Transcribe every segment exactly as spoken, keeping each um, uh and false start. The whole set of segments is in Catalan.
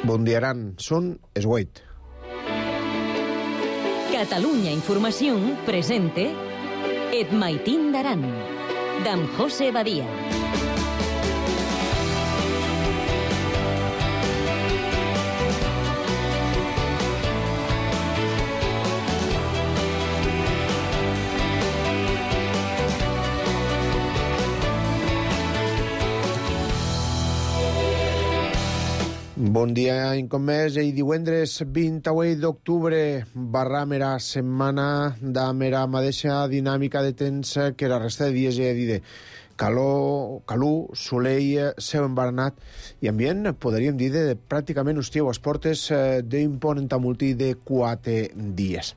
Bon dia, Aran. Són es vuit. Catalunya Informació presente Et Maitín d'Aran, d'en José Badia. Bon dia, un cop més, i divendres vint-i-vuit d'octubre barram era setmana damb era mateixa dinàmica de temps que la resta de dies, ja he dit, calor, calor, soleil, cel embaranat i ambient, podríem dir, de pràcticament estiu a les portes d'un pont entamultí de quatre dies.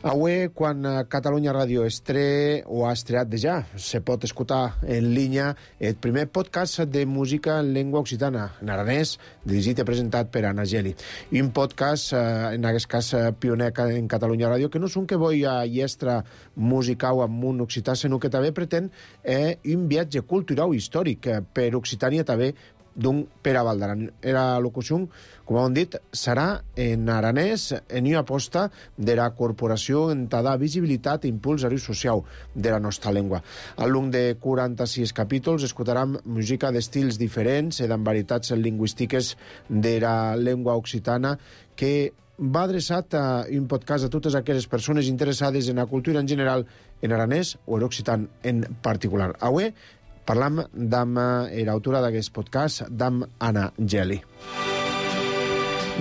Avui, quan Catalunya Ràdio estre o ha estreat de ja, se pot escoltar en línia el primer podcast de música en llengua occitana, en aranès, dirigit i presentat per Anna Geli. Un podcast, en aquest cas, pioner en Catalunya Ràdio, que no és un que vull a llestra musical amb un occità, sinó que també pretén eh, un viatge cultural històric per Occitània també, d'un per a Val d'Aran. La locució, com hem dit, serà en aranès en una aposta de la corporació en ta visibilitat i impuls a l'ús social de la nostra llengua. Al llarg de quaranta-sis capítols escoltarem música d'estils diferents i d'en varietats lingüístiques de la llengua occitana que va adreçat a un podcast a totes aquelles persones interessades en la cultura en general, en aranès o en occitan en particular. Avui parlam d'amb l'autora d'aquest podcast, d'amb Anna Geli.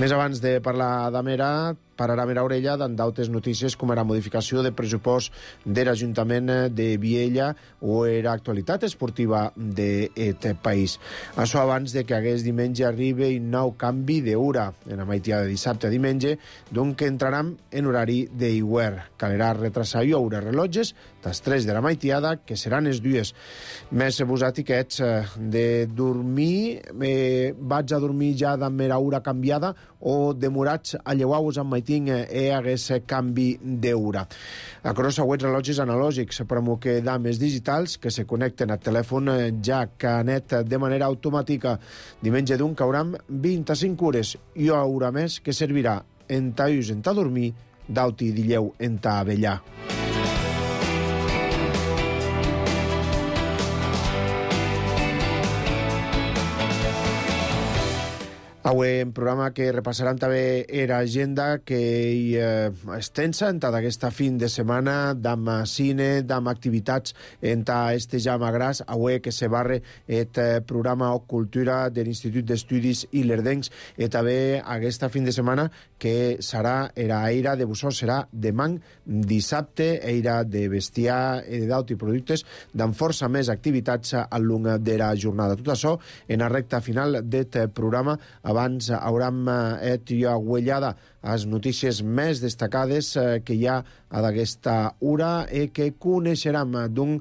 Més abans de parlar d'amb era, pararà a orella d'altres notícies com era modificació de pressupost de l'Ajuntament de Viella o era actualitat esportiva d'aquest país. Això abans de que hagués diumenge arribi un nou canvi d'hora en la maitiada de dissabte a diumenge, donc entrarem en horari d'hivern. Calerà retrasar i oure rellotges les tres de la maitiada, que seran les dues. Més vosaltres de dormir, eh, vaig a dormir ja amb la hora canviada o demorats a llevar-vos amb maitín e hagués canvi d'hora. A crossa web rellotges analògics, però que dames digitals que se connecten al telèfon ja canet de manera automàtica. Diumenge d'un cauram vint-i-cinc hores i una hora més que servirà en ta us en ta dormir, d'auti dilleu en ta avellar. Avui en programa que repassarem també era agenda que hi eh, és tensa en aquesta fin de setmana d'amb cine, d'amb activitats en este ja magràs. Avui que se barre el programa o cultura de l'Institut d'Estudis Ilerdencs i també aquesta fin de setmana que serà era eira de bussó, serà demà dissabte, eira de bestiar i d'auti productes d'amb força més activitats al llarg de la jornada. Tot això en la recta final del programa. Abans haurem et jo agüellada a les notícies més destacades que hi ha a d'aquesta hora i que coneixerem d'un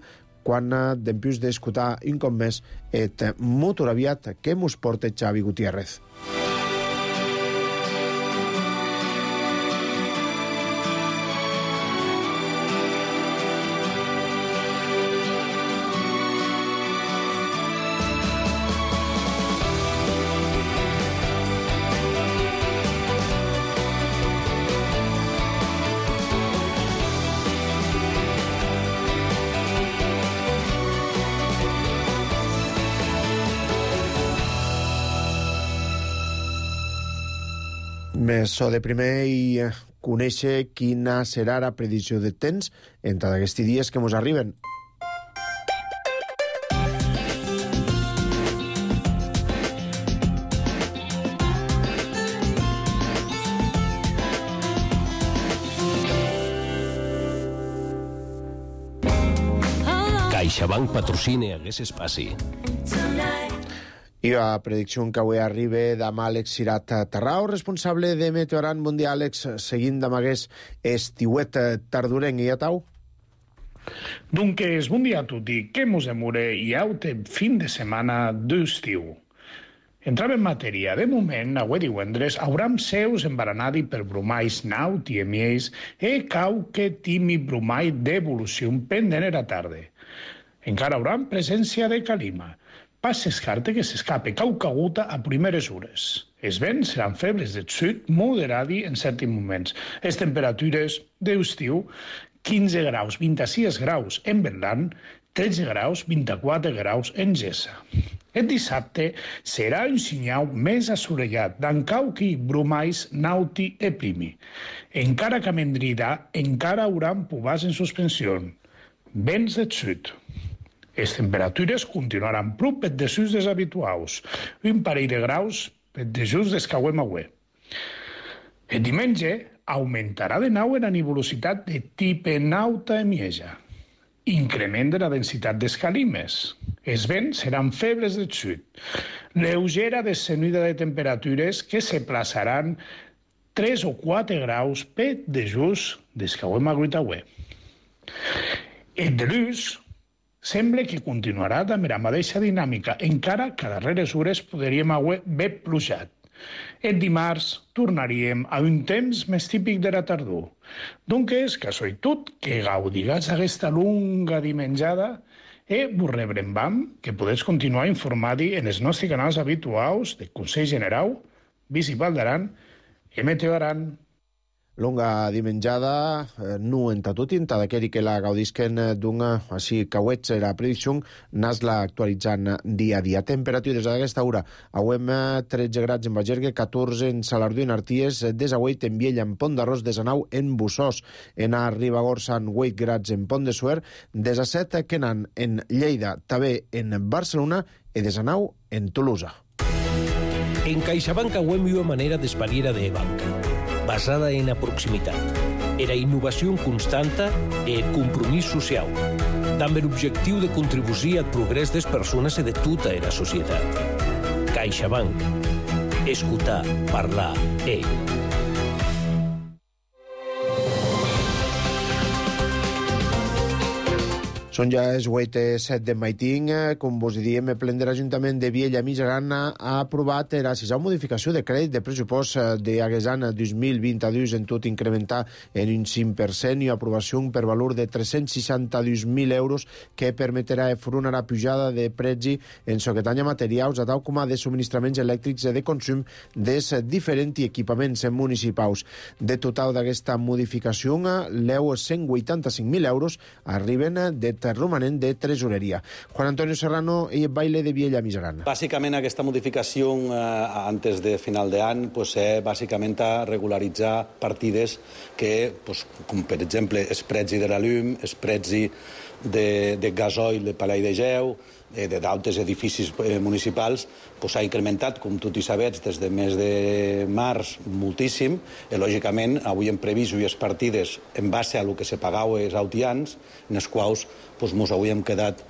quan dempius d'escoltar un cop més et motor aviat que mos porta Xavi Gutiérrez. Més so de primer i conèixer quina serà la predicció de temps entre aquests dies que mos arriben. CaixaBank patrocina aquest espai. I la predicció que avui arriba d'amb Àlex Cirat Tarrao, responsable de Meteo Aran. Bon dia, Àlex. Seguint d'amb aquest estiuet tardorenc i a tau? Dunques, bon dia a tutti. Que mos demore i aute fin de setmana d'estiu. Entrant en matèria, de moment, avui divendres, hauram seus embaranadi per brumais naut i emiells e cauque timi brumai d'evolució pendent era tarde. Encara hauram presència de calima. pas s'escarte que s'escape caucaguta a primeres hores. Els vents seran febles de sud moderadi en certs moments. Les temperatures d'estiu, quinze graus, vint-i-sis graus en Berlan, tretze graus, vint-i-quatre graus en Gessa. El dissabte serà un senyal més assolellat, d'encauqui, brumais, nauti e primi. Encara que a Mendrida encara haurà pubars en suspensió. Vents de sud. Les temperatures continuaran prop per desús dels habituals, un parell de graus per desús des que auem avui. El diumenge augmentarà de nou la nuvolositat de tipus nauta i Mieja. Increment de la densitat d'escalimes. Els vents seran febles del sud. Lleugera descenida de temperatures que se plaçaran tres o quatre graus per desús des que auem agruit avui. El dilluns sembla que continuarà amb la mateixa dinàmica, encara que a darreres hores podríem haver ben plujat. El dimarts tornaríem a un temps més típic de la tardor. Doncs, casualitat, que gaudiràs aquesta longa dimenjada i vos rebrem que podeu continuar informant-hi en els nostres canals habituals del Consell General, Municipal d'Aran i Meteo Aran. Longa dimenjada, eh, nu entatutin, tadaqueri que la gaudisquen d'una, així cauets la predicció, nas-la actualitzant dia a dia. Temperatures d'aquesta hora, auem tretze grads en Bagergue, catorze en Salardú i en Arties, desauet en Viella, en Pont d'Arròs, desanau en Bussós, en Ribagorça, en vuit grads en Pont de Suer, desaset Quenan en Lleida, també en Barcelona, i desanau en Tolosa. En CaixaBank auem una manera d'espariera de banca, basada en la proximitat, en la innovació constanta i el compromís social, amb l'objectiu de contribuir al progrés de les persones i de tota la societat. CaixaBank. Escoltar, parlar, eh. Són ja els vuit set de maiting, com vos diem, el plen de l'Ajuntament de Viella Mijaran ha aprovat la sisena modificació de crèdit de pressupost d'aquest any dos mil vint-i-dos en tot incrementar en un cinc per cent i aprovació per valor de tres-cents seixanta-dos mil euros que permetrà afrontar la pujada de preci en soquetanya materials, a tal com a de subministraments elèctrics i de consum dels diferents equipaments municipals. De total d'aquesta modificació, l'eu cent vuitanta-cinc mil euros arriben de romanent de tresoreria. Juan Antonio Serrano i el baile de Viella Mijaran. Bàsicament aquesta modificació eh, antes de final d'any pues, eh, bàsicament a regularitzar partides que, pues, com per exemple, el preci de la llum, el preci de, de gasoil de Palai de Geu, d'altres edificis municipals, s'ha incrementat, com tots hi sabets, des de mes de març moltíssim, i lògicament avui hem previst unes partides en base a el que se pagava els autians, en els quals ens hauríem quedat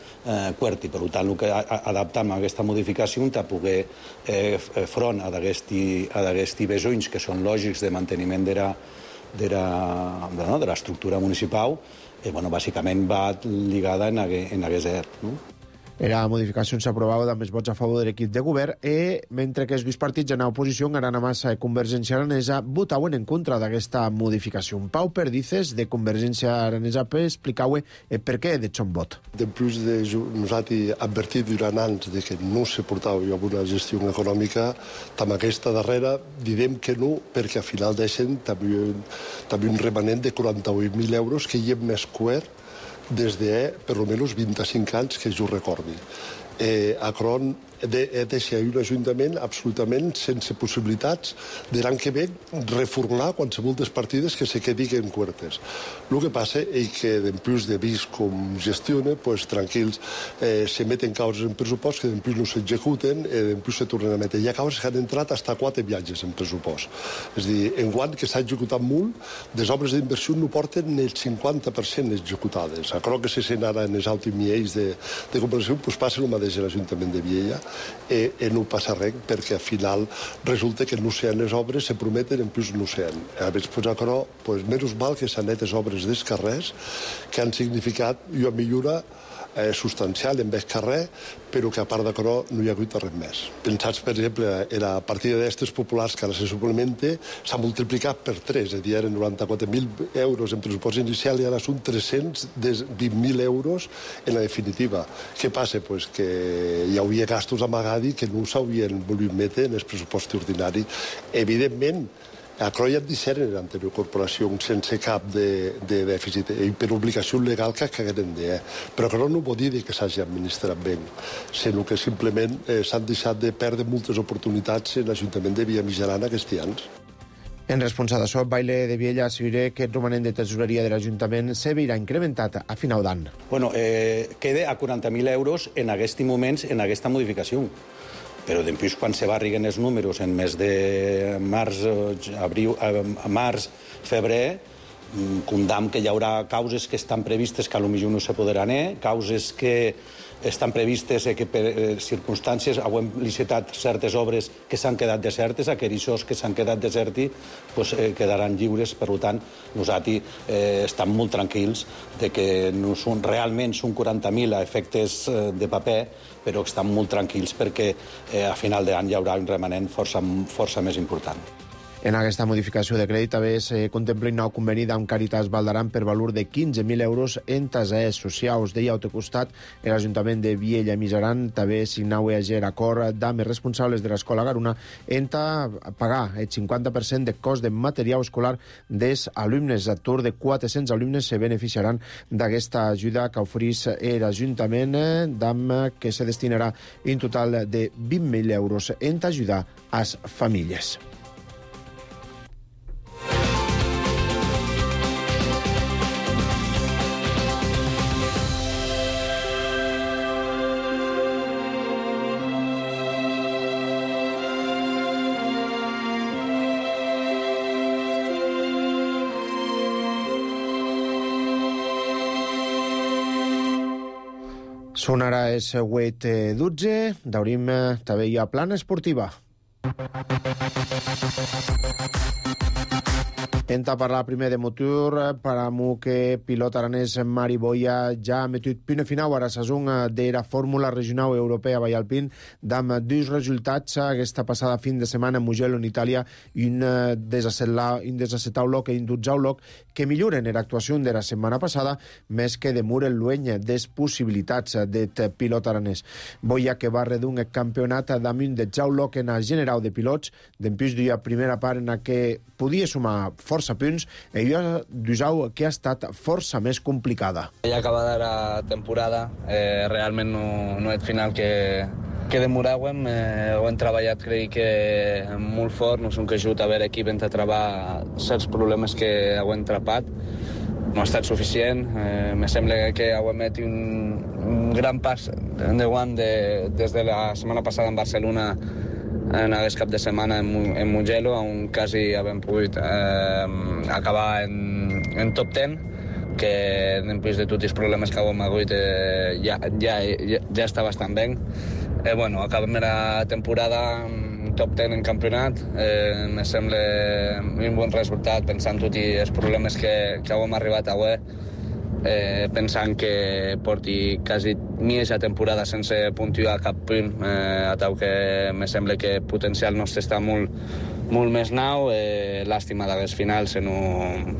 quert, i per tant el que adaptam a aquesta modificació per poder front a d'aquests besoins que són lògics de manteniment de l'estructura municipal, i bàsicament va lligada en aquest E R. La modificació s'aprovava amb els vots a favor de l'equip de govern i, mentre que els dos partits en oposició, Arana Massa i Convergència Aranesa, votaven en contra d'aquesta modificació. Pau Perdices, de Convergència Aranesa, explicava per què de son vot. Després de nosaltres advertir durant anys de que no se portava amb una gestió econòmica, amb aquesta darrera direm que no, perquè al final deixen també, també un remanent de quaranta-vuit mil euros que hi hem més coert des de, per almenys, vint-i-cinc anys que jo recordi. Eh, a Cron he deixat un ajuntament absolutament sense possibilitats de l'any que ve reformular qualsevol des partides que se quedin cuertes. El que passa és que, després de vist com gestiona, pues, tranquils, eh, se meten causes en pressupost que després no s'executen i després se tornen a metre. Hi ha causes que han entrat fins a quatre viatges en pressupost. És a dir, enguany que s'ha executat molt, les obres d'inversió no porten el cinquanta per cent executades. A Cron que se sent ara en els últims nivells de, de comparació, pues, passa el mateix a l'Ajuntament de Viella. I, i no passa res, perquè al final resulta que no sean les obres, se prometen, en plus no sean. A més, pues, a Cro, pues, menys mal que s'han net les obres dels carrers, que han significat una millora eh, substancial en vez carrer, però que a part d'això no hi ha hagut res més. Pensats, per exemple, en la partida d'estes populars que ara se suplementa, s'ha multiplicat per tres, és a dir, eren noranta-quatre mil euros en pressupost inicial i ara són tres-cents vint mil euros en la definitiva. Què passa? Pues que hi havia gastos amagadi que no s'havien volgut metre en el pressupost ordinari. Evidentment, a Croia et deixaren en l'anterior corporació sense cap de, de dèficit i per obligació legal que hagueren de. Però això no vol dir que s'hagi administrat bé, sinó que simplement eh, s'han deixat de perdre moltes oportunitats en l'Ajuntament de Villamijaran aquests anys. En resposta d'això, Baile de Viella assegura que el romanent de tesoreria de l'Ajuntament se veurà incrementat a final d'any. Bueno, eh, queda a quaranta mil euros en aquests moments en aquesta modificació. Però després, quan se barriguen els números en mes de març, abril, març, febrer, condam que hi haurà causes que estan previstes que potser no se podran anar, causes que estan previstes que per circumstàncies hem licitat certes obres que s'han quedat desertes, aquells que s'han quedat deserti pues, eh, quedaran lliures. Per tant, nosaltres eh, estem molt tranquils de que no són, realment són quaranta mil a efectes eh, de paper, però estan molt tranquils perquè eh, a final d'any hi haurà un remanent força, força més important. En aquesta modificació de crèdit també se contempla un nou conveni amb Càritas Valdaran per valor de quinze mil euros en tasers socials. Deia al costat, l'Ajuntament de Viella i Mijaran també signau ayer acord amb els responsables de l'escola Garuna en pagar el cinquanta per cent de cost de material escolar dels alumnes. A tour de quatre-cents alumnes se beneficiaran d'aquesta ajuda que oferís l'Ajuntament, d'am que se destinarà en total de vint mil euros en ajudar a les famílies. Són ara el següent dotze, d'obrim també hi ha plana esportiva. Entra a parlar primer de motor, per a que pilot aranès Mari Boia ja ha metut punt final a la saison de la Fórmula Regional Europea Vallalpín, amb dos resultats aquesta passada fin de setmana en Mugello, en Itàlia, i un desacetau loc i un dotzau loc que milloren l'actuació de la setmana passada, més que demuren l'ueny des possibilitats del pilot aranès. Boia que va redun el campionat damunt de Jau Loc en el general de pilots, d'empús d'una primera part en què podia sumar força punts, i una d'usau que ha estat força més complicada. Ja acabada la temporada, eh, realment no, no és final que, que demoràvem, eh, ho hem treballat, crec que molt fort, no som que ajut a veure equip entre treballar certs problemes que ho hem trapat. No ha estat suficient, eh, me sembla que ho hem fet un, un gran pas endavant de, des de la setmana passada en Barcelona en aquest cap de setmana en, en Mugello, on quasi hem pogut eh, acabar en, en top deu, que després de tots els problemes que hem hagut eh, ja, ja, ja, ja està bastant bé. Eh, bueno, acabem la temporada en top deu en campionat, eh, me sembla un bon resultat pensant tots els problemes que, que hem arribat a avui. Eh, pensant que porti quasi mitja temporada sense puntuar cap punt, eh, a tal que me sembla que el potencial nostre està molt, molt més nou. Eh, Làstima d'aquest final si no,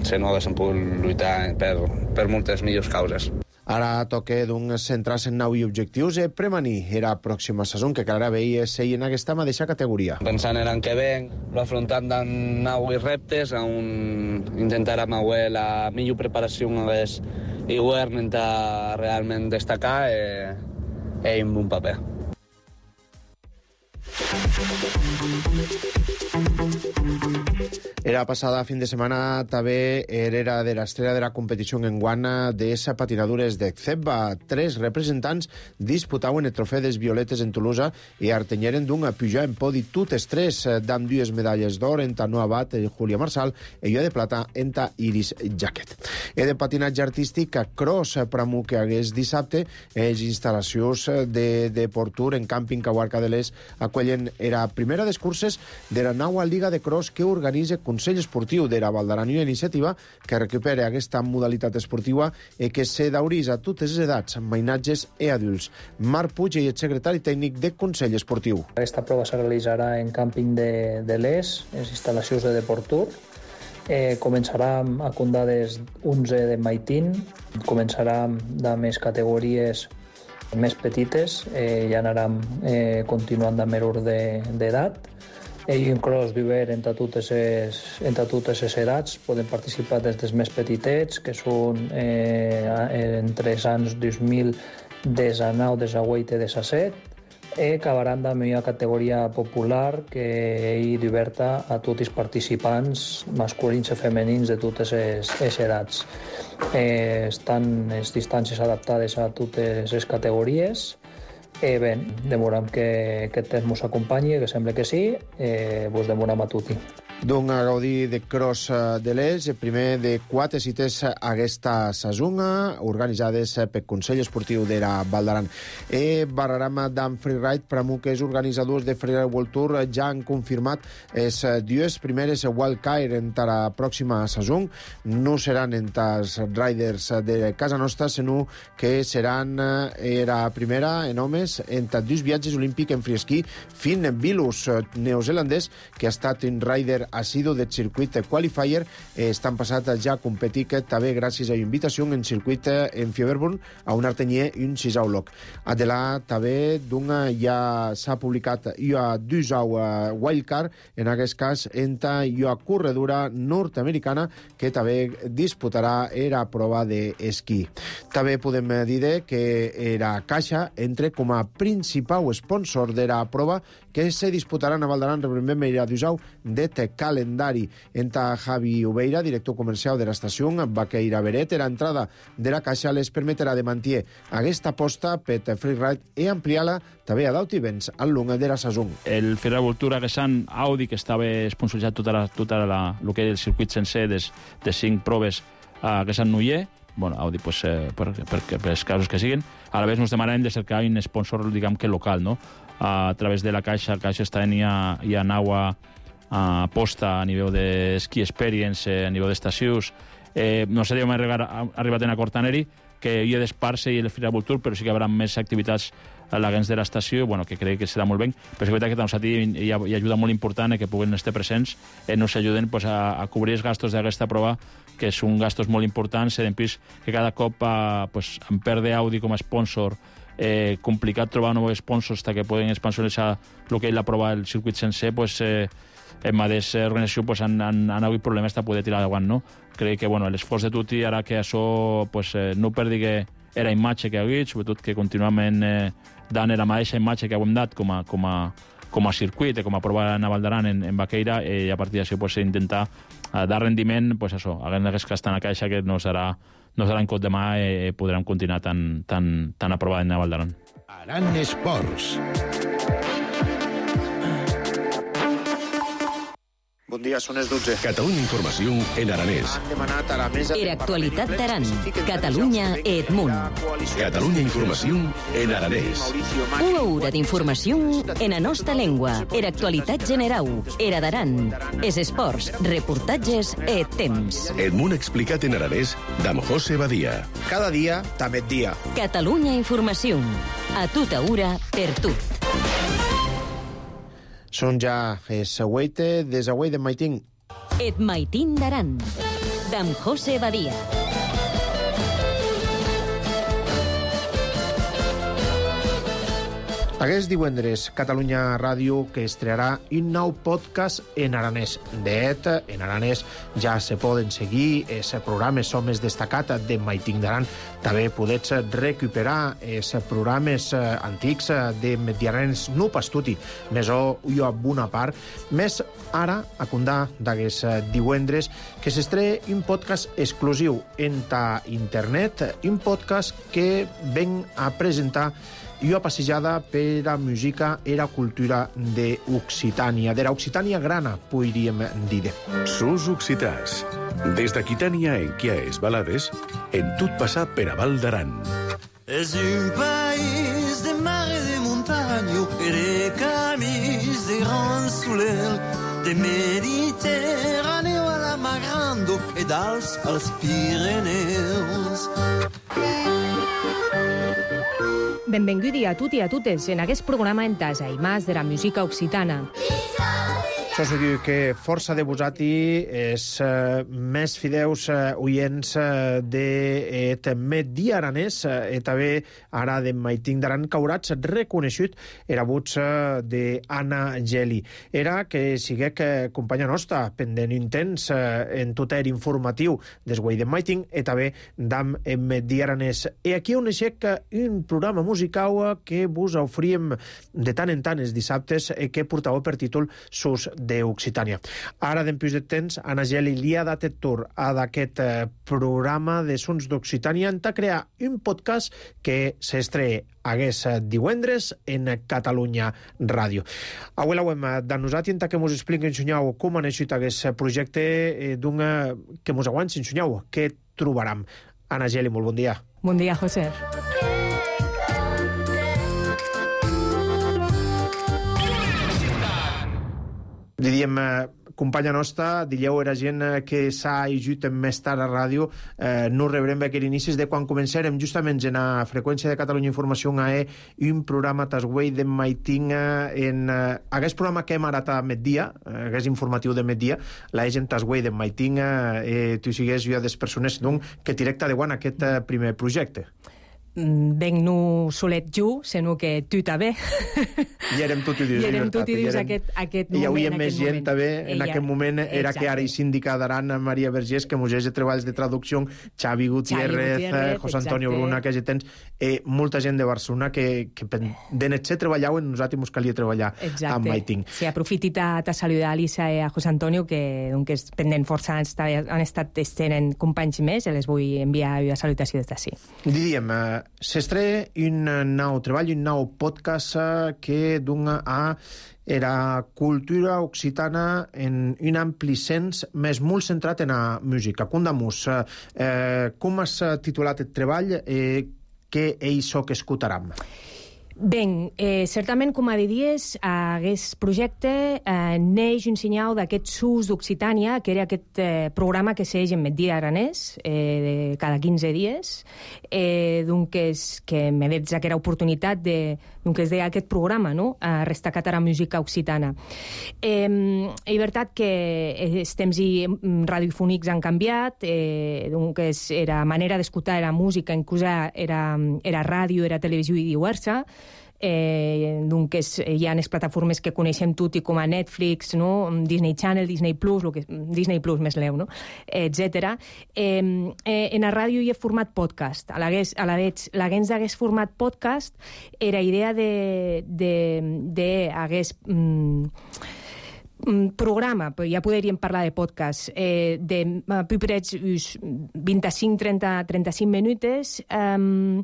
si no haguéssim pogut lluitar per, per moltes millors causes. Ara toca doncs, centrar-se en nou i objectius i prevenir la pròxima saison, que cada veia ser en aquesta mateixa categoria. Pensant en l'any que ve, afrontant amb nou reptes, on intentarem avui la millor preparació en aquest hivern intentar realment destacar eh, i un bon paper. Era passada fin de setmana també era de l'estrella de la competició en guana de patinadures de Zebba. Tres representants disputaven el trofeu des Violetes en Tolosa i artenyeren d'un pujar en podi totes tres, amb dues medalles d'or en ta Noa Bat, Júlia Marsal, i jo de plata en ta Iris Jaquet. E de patinatge artístic a cross pramu que hagués dissabte, les instal·lacions de, de Portur en càmping Caguarca de l'Est acollen era primera des curses de la nau naua Liga de Cross que organitza Consell Esportiu de la Val d'Aran, una iniciativa que recupera aquesta modalitat esportiva i que se daurís a totes les edats, mainatges i adults. Marc Puig és el secretari tècnic de Consell Esportiu. Aquesta prova se realitzarà en càmping de, de l'Es, en instal·lacions de Deportur. Eh, començarà a condades onze de Maitín, començarà de més categories més petites, eh, ja anarem eh, continuant amb l'ordre d'edat. Eh, I un cross viver entre totes les, entre totes les edats, poden participar des dels més petitets, que són eh, entre els anys dos mil dinou, divuit i disset, i acabaran amb una categoria popular que és oberta a tots els participants masculins i femenins de totes les edats. Eh, estan les distàncies adaptades a totes les categories. Eh, bé, demorem que aquest temps ens acompanyi, que sembla que sí, eh, vos demorem a tutti. D'un a gaudir de cross de l'Es, el primer de quatre cites aquesta sazonga, organitzades pel Consell Esportiu de la Val d'Aran. E Barrarama d'en Freeride, pramo que els organitzadors de Freeride World Tour ja han confirmat les dues primeres wildcard en la pròxima sazon. No seran entre els riders de casa nostra, sinó que seran la primera en homes entre dos viatges olímpics en freesquí. Finn Bilus, neozelandès, que ha estat un rider assidu del circuit qualifier, eh, estan passat ja a competir també gràcies a una invitació en circuit en Fieberburn a un artenyer i un sisau loc. Adelà també d'una ja s'ha publicat una dusau wildcard, en aquest cas entre una corredora nord-americana que també disputarà la prova d'esquí. També podem dir que la Caixa entra com a principal sponsor de la prova que se disputarà a Val d'Aran, reprenem la dusau de calendari. Entre Javi Ubeira, director comercial de l'estació Baqueira Beret, la entrada de la Caixa les permetrà de mantenir aquesta aposta per freeride i ampliar-la també a Dauti Vents al long de la saison. El Freeride World Tour Aguesan Audi, que estava sponsoritzat tota la, tota la, el que era el circuit sencer des, de cinc proves a Aguesan Nuller, bueno, Audi pues, eh, per, per, per els casos que siguin. A la vegada ens demanem de cercar un sponsor, diguem que local, no? A través de la Caixa, la Caixa està en ja, ja naua a aposta a nivell d'esquí experience, a nivell d'estacions. Eh, no sé si hem arribat, arribat en acord amb ell, que hi ha d'Esparse i el Freeride World Tour, però sí que hi haurà més activitats a l'agents de l'estació, bueno, que crec que serà molt bé, però és veritat que nosaltres hi ha, hi ha ajuda molt important que puguen estar presents i nos ajuden pues, a, a cobrir els gastos d'aquesta prova, que són gastos molt importants, en pis que cada cop a, pues, en perde Audi com a sponsor, eh, complicat trobar nous sponsors que poden sponsoritzar el que és la prova del circuit sencer, pues, eh, en mateixa organització pues, han, han, han hagut problemes de poder tirar davant, no? Crec que bueno, l'esforç de tutti ara que això pues, eh, no perdi que era imatge que ha hagut, sobretot que continuament eh, dant la mateixa imatge que hem dat com a, com a, com a circuit, com a prova a Val d'Aran en, en Baqueira, i a partir d'això pues, intentar eh, dar rendiment, pues, això, haguem que estar a la Caixa, que no serà, no serà en cot demà i eh, podrem continuar tan, tan, tan aprovat en Val d'Aran. Aran Esports. Bon dia, són les dotze. Catalunya Informació en aranès. Han demanat a la mesa... Era actualitat d'Aran. Catalunya i Edmunt. Catalunya Informació en aranès. Una hora d'informació en la nostra llengua. Era actualitat general. Era d'Aran. Es esports, reportatges i temps. Edmunt explicat en aranès d'Am José Badia. Cada dia, també et dia. Catalunya Informació. A tota hora, per tot. Són ja els següent des d'avui de Maitín. Et Maitín d'Aran, d'Am José Badia. Aquest divendres, Catalunya Ràdio, que estrearà un nou podcast en aranès. De fet, en aranès ja se poden seguir els programes més destacats de Maitín d'Aran. També podets recuperar els programes antics de Mediarens no pas tutti, més o jo a una part. Més ara, a condar d'aquest divendres, que s'estrena un podcast exclusiu en internet, un podcast que ven a presentar i una passejada per la música i la cultura d'Occitània, de l'Occitània grana, podríem dir. Sus occitans. Des d'Aquitània en Quiaes Balades, en tot passar per a Val d'Aran. És un país de mar i de muntanya, i de camins de grans solers, de Mediterràneo a la Mar Grande i d'Alps als Pirineus. Benvinguts a tutti i a totes en aquest programa en tasa i mas de la música occitana. Això significa que força de vosati és uh, més fideus uh, oients uh, de també aranès uh, i també ara de Maiting d'Aran caurats reconeixut era vots uh, d'Anna Geli. Era que siguec uh, companya nostra pendent intens uh, en tot er informatiu des guai de Maiting i també d'am Medi Aranès. I aquí on aixec un programa musical que vos oferíem de tant en tant els dissabtes i que portava per títol Sus d'Occitània. Ara, d'empius de temps, Anna Geli li ha dat el tour a d'aquest eh, programa de Sons d'Occitània en crear un podcast que s'estreia hagués divendres en Catalunya Ràdio. Avui l'hem de nosaltres i que mos expliquen, ensenyau, com ha naixut aquest projecte eh, d'un eh, que mos aguants, ensenyau, què trobaram. Anna Geli, molt bon dia. Bon dia, José. Diríem, eh, companya nostra, dilleu era gent eh, que s'ha ajut més tard a ràdio, eh, no rebrem aquells inicis de quan començarem justament en la freqüència de Catalunya Informació a E un programa tasguei de Maiting eh, en eh, aquest programa que hem arat a migdia, eh, aquest informatiu de migdia, la gent tasguei de Maiting eh, tu sigues jo des persones doncs, que directe de guant aquest eh, primer projecte. Ben no solet jo, sinó que tu també. I érem tot i dius. I érem tot i dius aquest, aquest moment. I hi havia més gent també en Ella, aquest moment. Era exacte. Que ara hi síndica d'Aran, Maria Vergés, que mos de treballs de traducció, Xavi Gutiérrez, Gutiérrez José Antonio exacte. Bruna, que ja tens eh, molta gent de Barcelona que, que de netxer treballaven, nosaltres mos calia treballar exacte. Amb Maiting. Sí, aprofiti a, a saludar a Lisa i a José Antonio, que doncs, pendent força han estat, han estat estenen companys més, i les vull enviar una salutació des d'ací. Diríem, eh, s'estreia un nou treball, un nou podcast que dona a era cultura occitana en un ampli sens, més molt centrat en la música. Condamus, eh, com has titulat el treball i eh, què és això que escoltaram? Ben, eh, certament, com a diries, aquest projecte eh, neix un senyal d'aquest Sus d'Occitània, que era aquest eh, programa que segueix en Medi Aranès, eh, de cada quinze dies, eh, doncs que me veig aquella oportunitat de, doncs es deia aquest programa, no?, a restacat a la música occitana. Eh, és veritat que els temps i radiofònics han canviat, eh, doncs era manera d'escoltar la música, inclús era, era ràdio, era televisió i diversa. Eh, doncs hi ha les plataformes que coneixem tutti com a Netflix, no? Disney Channel, Disney Plus, lo que, Disney Plus més leu, no? etcètera. Eh, eh, en la ràdio hi ha format podcast. A la vez, a la vez, l'hagués d'hagués format podcast era idea de, de, de hagués... Mm, programa, ja podríem parlar de podcast, eh, de uh, piperets vint-i-cinc a trenta-cinc minutes, um,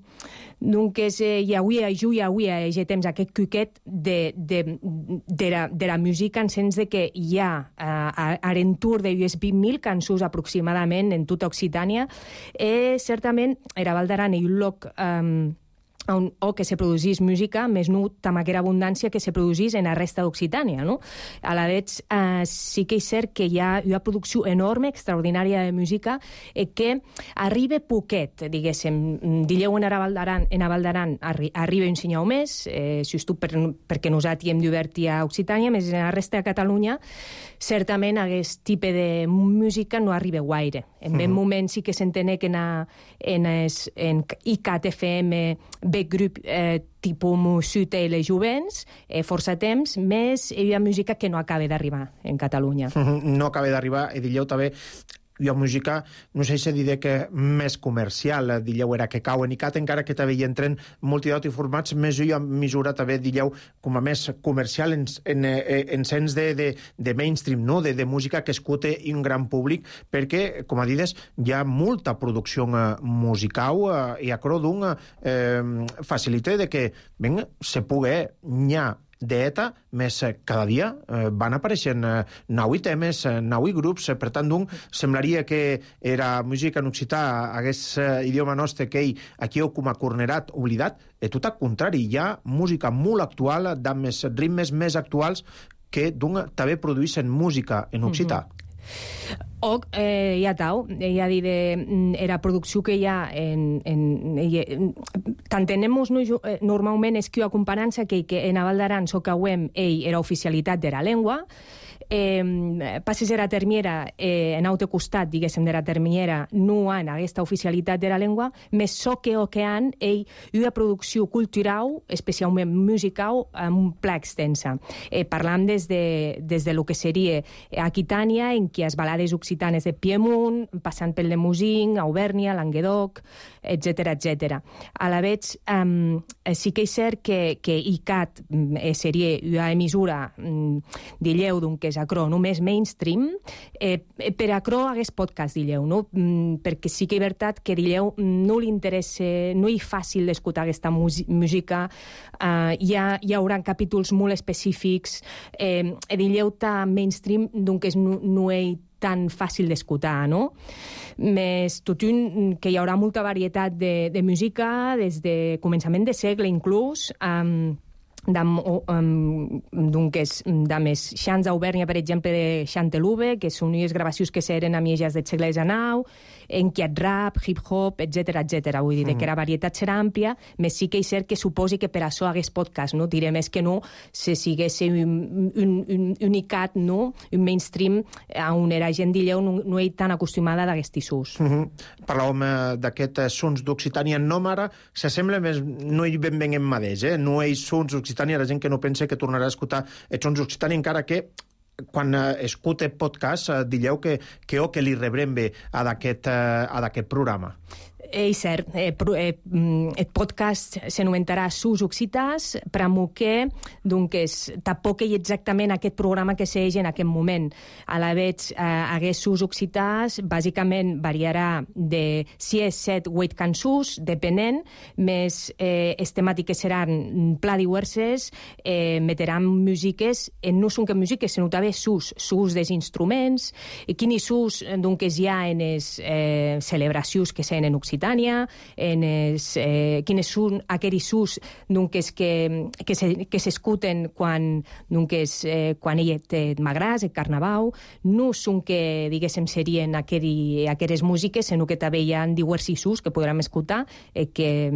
doncs eh, hi havia, jo hi havia ja temps aquest cuquet de, de, de, la, de la música en sens de que hi ha uh, a l'entorn de vint mil cançons aproximadament en tota Occitània, i certament era Val d'Aran i un lloc um, on, o que se produsís música, més no amb aquella abundància que se produsís en la resta d'Occitània, no? A la vegada, eh, sí que és cert que hi ha una producció enorme, extraordinària de música, eh, que arriba poquet, diguéssim. Dilleu en Val d'Aran, en Val d'Aran arri arriba un senyal més, eh, just per, perquè nosaltres hem d'obert a Occitània, més en la resta de Catalunya, certament aquest tipus de música no arriba gaire. En ben mm -hmm. moment sí que s'entén que en, a, en, es, en I C A T F M ve grup eh, tipus Musut i les Jovents, eh, força temps, més hi ha música que no acaba d'arribar en Catalunya. Mm -hmm. No acaba d'arribar, i dilleu també hi ha música, no sé si diré que més comercial, dilleu, era que cau en I C A T, encara que també hi entren multidat i formats, més hi ha mesura també, dilleu, com a més comercial en, en, en sens de, de, de mainstream, no? de, de música que escute un gran públic, perquè, com a dides, hi ha molta producció musical eh, i a Crodung eh, facilita de que ben, se pugui nyar d'ETA, més cada dia eh, van apareixent eh, nou temes, eh, nou grups, eh, per tant, doncs, semblaria que era música en occità, hagués eh, idioma nostre que ell aquí ho com a cornerat, oblidat, i tot al contrari, hi ha música molt actual, amb més ritmes més actuals, que també produïssin música en occità. O, eh, ja tau, ja dir, era producció que hi ha en... en tant tenemos normalment és que comparança que, que en Aval d'Aran so cauem ell era oficialitat de la llengua, eh, passes era termiera eh, en aute costat, diguéssim, de la termiera no han aquesta oficialitat de la llengua, més so que o que han ell una producció cultural, especialment musical, amb un pla extensa. Eh, parlam des de, des de lo que seria Aquitània, en què les balades occitanes de Piemont, passant pel Lemosín, Auvèrnia, Languedoc, etcètera, etcètera. A la vez, um, sí que és cert que, que I C A T eh, seria una emissora um, d'illeu d'un que és acro només mainstream, eh, per acro hagués podcast d'illeu, no? Mm, perquè sí que és veritat que d'illeu no li interessa, no és fàcil d'escoltar aquesta música, uh, hi, ha, hi haurà capítols molt específics, eh, d'illeu ta mainstream, doncs no, no és tan fàcil d'escoltar, no? Més tot un que hi haurà molta varietat de, de música des de començament de segle inclús, um, de més xants d'Auvèrnia, per exemple, de Chantelouve, que són unes gravacions que s'eren a mitjans del segle dinou, en què rap, hip-hop, etcètera, etcètera. Vull dir mm. que la varietat serà àmplia, més sí que és cert que suposi que per això hagués podcast, no? Diré més que no, si sigués un, un, un unicat, no? Un mainstream on era gent d'illeu no, no és tan acostumada d'aquests ús. Mm -hmm. Parlàvem eh, d'aquests sons d'Occitània en Nòmara, s'assembla més, no hi ben ben en mateix, eh? No hi sons d'Occitània, la gent que no pensa que tornarà a escoltar els sons d'Occitània, encara que quan eh, escuta podcast eh, digueu que, que o que li rebrem bé a d'aquest eh, programa. És cert, eh, eh, el podcast s'anomenarà Sus Occitàs, però que doncs, tampoc és exactament aquest programa que s'eix en aquest moment. A la vez, eh, hagués Sus Occitàs, bàsicament variarà de sis, set, vuit cançons, depenent, més eh, les temàtiques seran pla diverses, eh, metteran músiques, eh, no són que músiques, sinó també sus, sus dels instruments, i quins sus doncs, hi ha en les eh, celebracions que s'han en Occitània, en es, eh, quines són aquells ús doncs, que, que, se, que s'escuten quan, doncs, eh, quan ell té magràs, el carnaval, no són que, diguéssim, serien aquell, aquelles músiques, sinó que també hi ha diversos ús que podrem escoltar, eh, que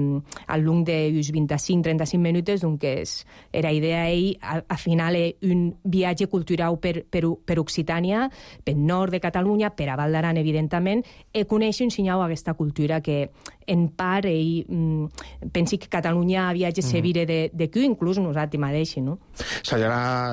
al long d'uns vint-i-cinc a trenta-cinc minuts, doncs, era idea ell, al, al final, és un viatge cultural per, per, per Occitània, per nord de Catalunya, per a Val d'Aran, evidentment, i conèixer un senyal aquesta cultura que en part ell mm, pensi que Catalunya viatge mm. sevire de, de qui, inclús nosaltres mateixos, no? S'haurà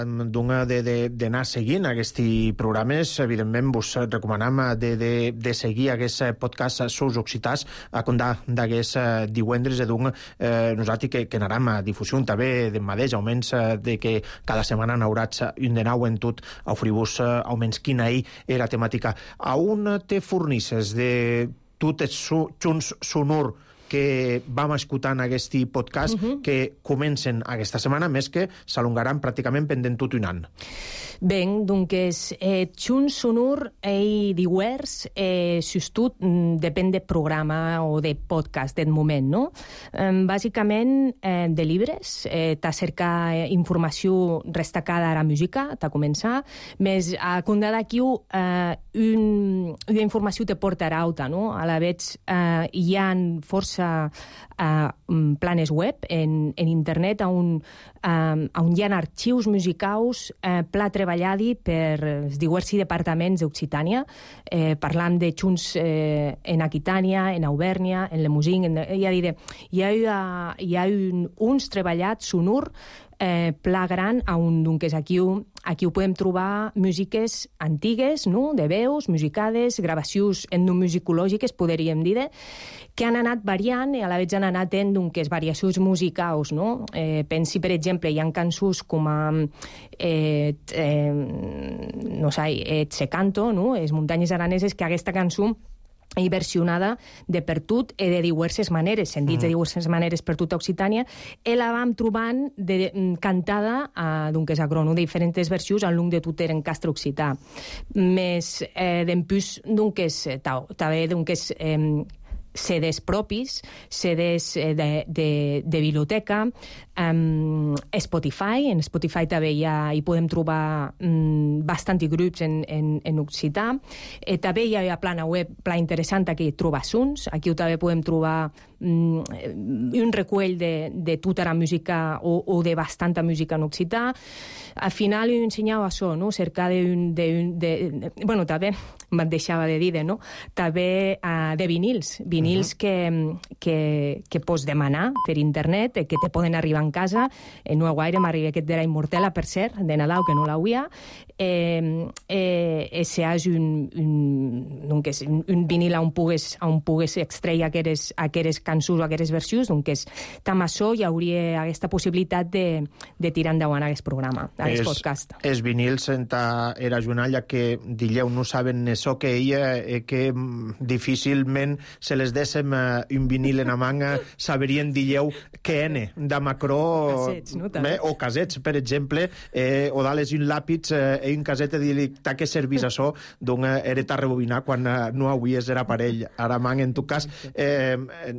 d'anar seguint aquests programes. Evidentment, vos recomanam de, de, de seguir aquest podcast Sus Occitàs a comptar d'aquests divendres, doncs eh, nosaltres que, que anarem a difusió també de mateix, almenys de que cada setmana n'haurà un de nou en tot, a oferir-vos almenys quina hi era temàtica. A on te fornisses de tots els junts sonor que vam escoltant aquest podcast uh -huh. que comencen aquesta setmana, més que s'alongaran pràcticament pendent tot un any. Bé, doncs, eh, Junts Sonor i Diuers, eh, justut, depèn de programa o de podcast del moment, no? Eh, bàsicament, eh, de llibres, eh, t'ha cercat informació destacada a la música, t'ha començat, més a compte d'aquí eh, un, una informació te portarà alta, no? A la vez eh, hi ha força Uh, planes web en, en internet on, uh, on hi ha arxius musicals uh, pla treballadi per els diversos departaments d'Occitània, eh, parlant de junts eh, en Aquitània, en Auvèrnia, en Lemosín, en, ja diré, hi ha, hi ha un, uns treballats sonor eh, pla gran on doncs, aquí, aquí ho podem trobar músiques antigues, no? De veus, musicades, gravacions etnomusicològiques, podríem dir, que han anat variant i a la vegada han anat en doncs, variacions musicals, no? Eh, pensi, per exemple, hi ha cançons com a eh, eh, no sé, eh, Tsecanto, no? Les muntanyes araneses, que aquesta cançó i versionada de per tot i de diverses maneres, sentits mm. de diverses maneres per tota Occitània, i la vam trobant de, cantada a, doncs, a Grono, de diferents versions al long de tot en castre occità. Més, eh, d'empús, doncs, també, doncs, eh, C Ds propis, C Ds de, de, de biblioteca, Um, Spotify, en Spotify també hi, ha, hi podem trobar um, bastanti grups en, en, en occità. Eh, també hi ha a plana web, pla interessant, aquí trobes uns, aquí també podem trobar um, un recull de, de tota la música o, o de bastanta música en occità. Al final he ensenyat això, no? Cercar de, de, de, de... Bueno, també me'n deixava de dir, no? També uh, de vinils, vinils uh -huh. que, que, que pots demanar per internet, que te poden arribar en casa. Eh, no guaire m'arriba aquest de la Immortela, per cert, de Nadal, que no l'hauia. Eh, eh, ese és un, un, donc és un, un vinil on pugues, on pugues extreure aqueres, aqueres cançons o aqueres versions, donc és tam això hi hauria aquesta possibilitat de, de tirar endavant aquest programa, aquest podcast. Els vinils era Junalla que dilleu no saben això que ella eh, que difícilment se les déssim eh, un vinil en la manga saberien dilleu què ene de Macró casets, no, eh, o casets, per exemple, eh, o dales un làpid eh, i un caset de dir ta que servís això, doncs eh, era ta rebobinar quan eh, no havies era parell. Ara, man, en tu cas, eh,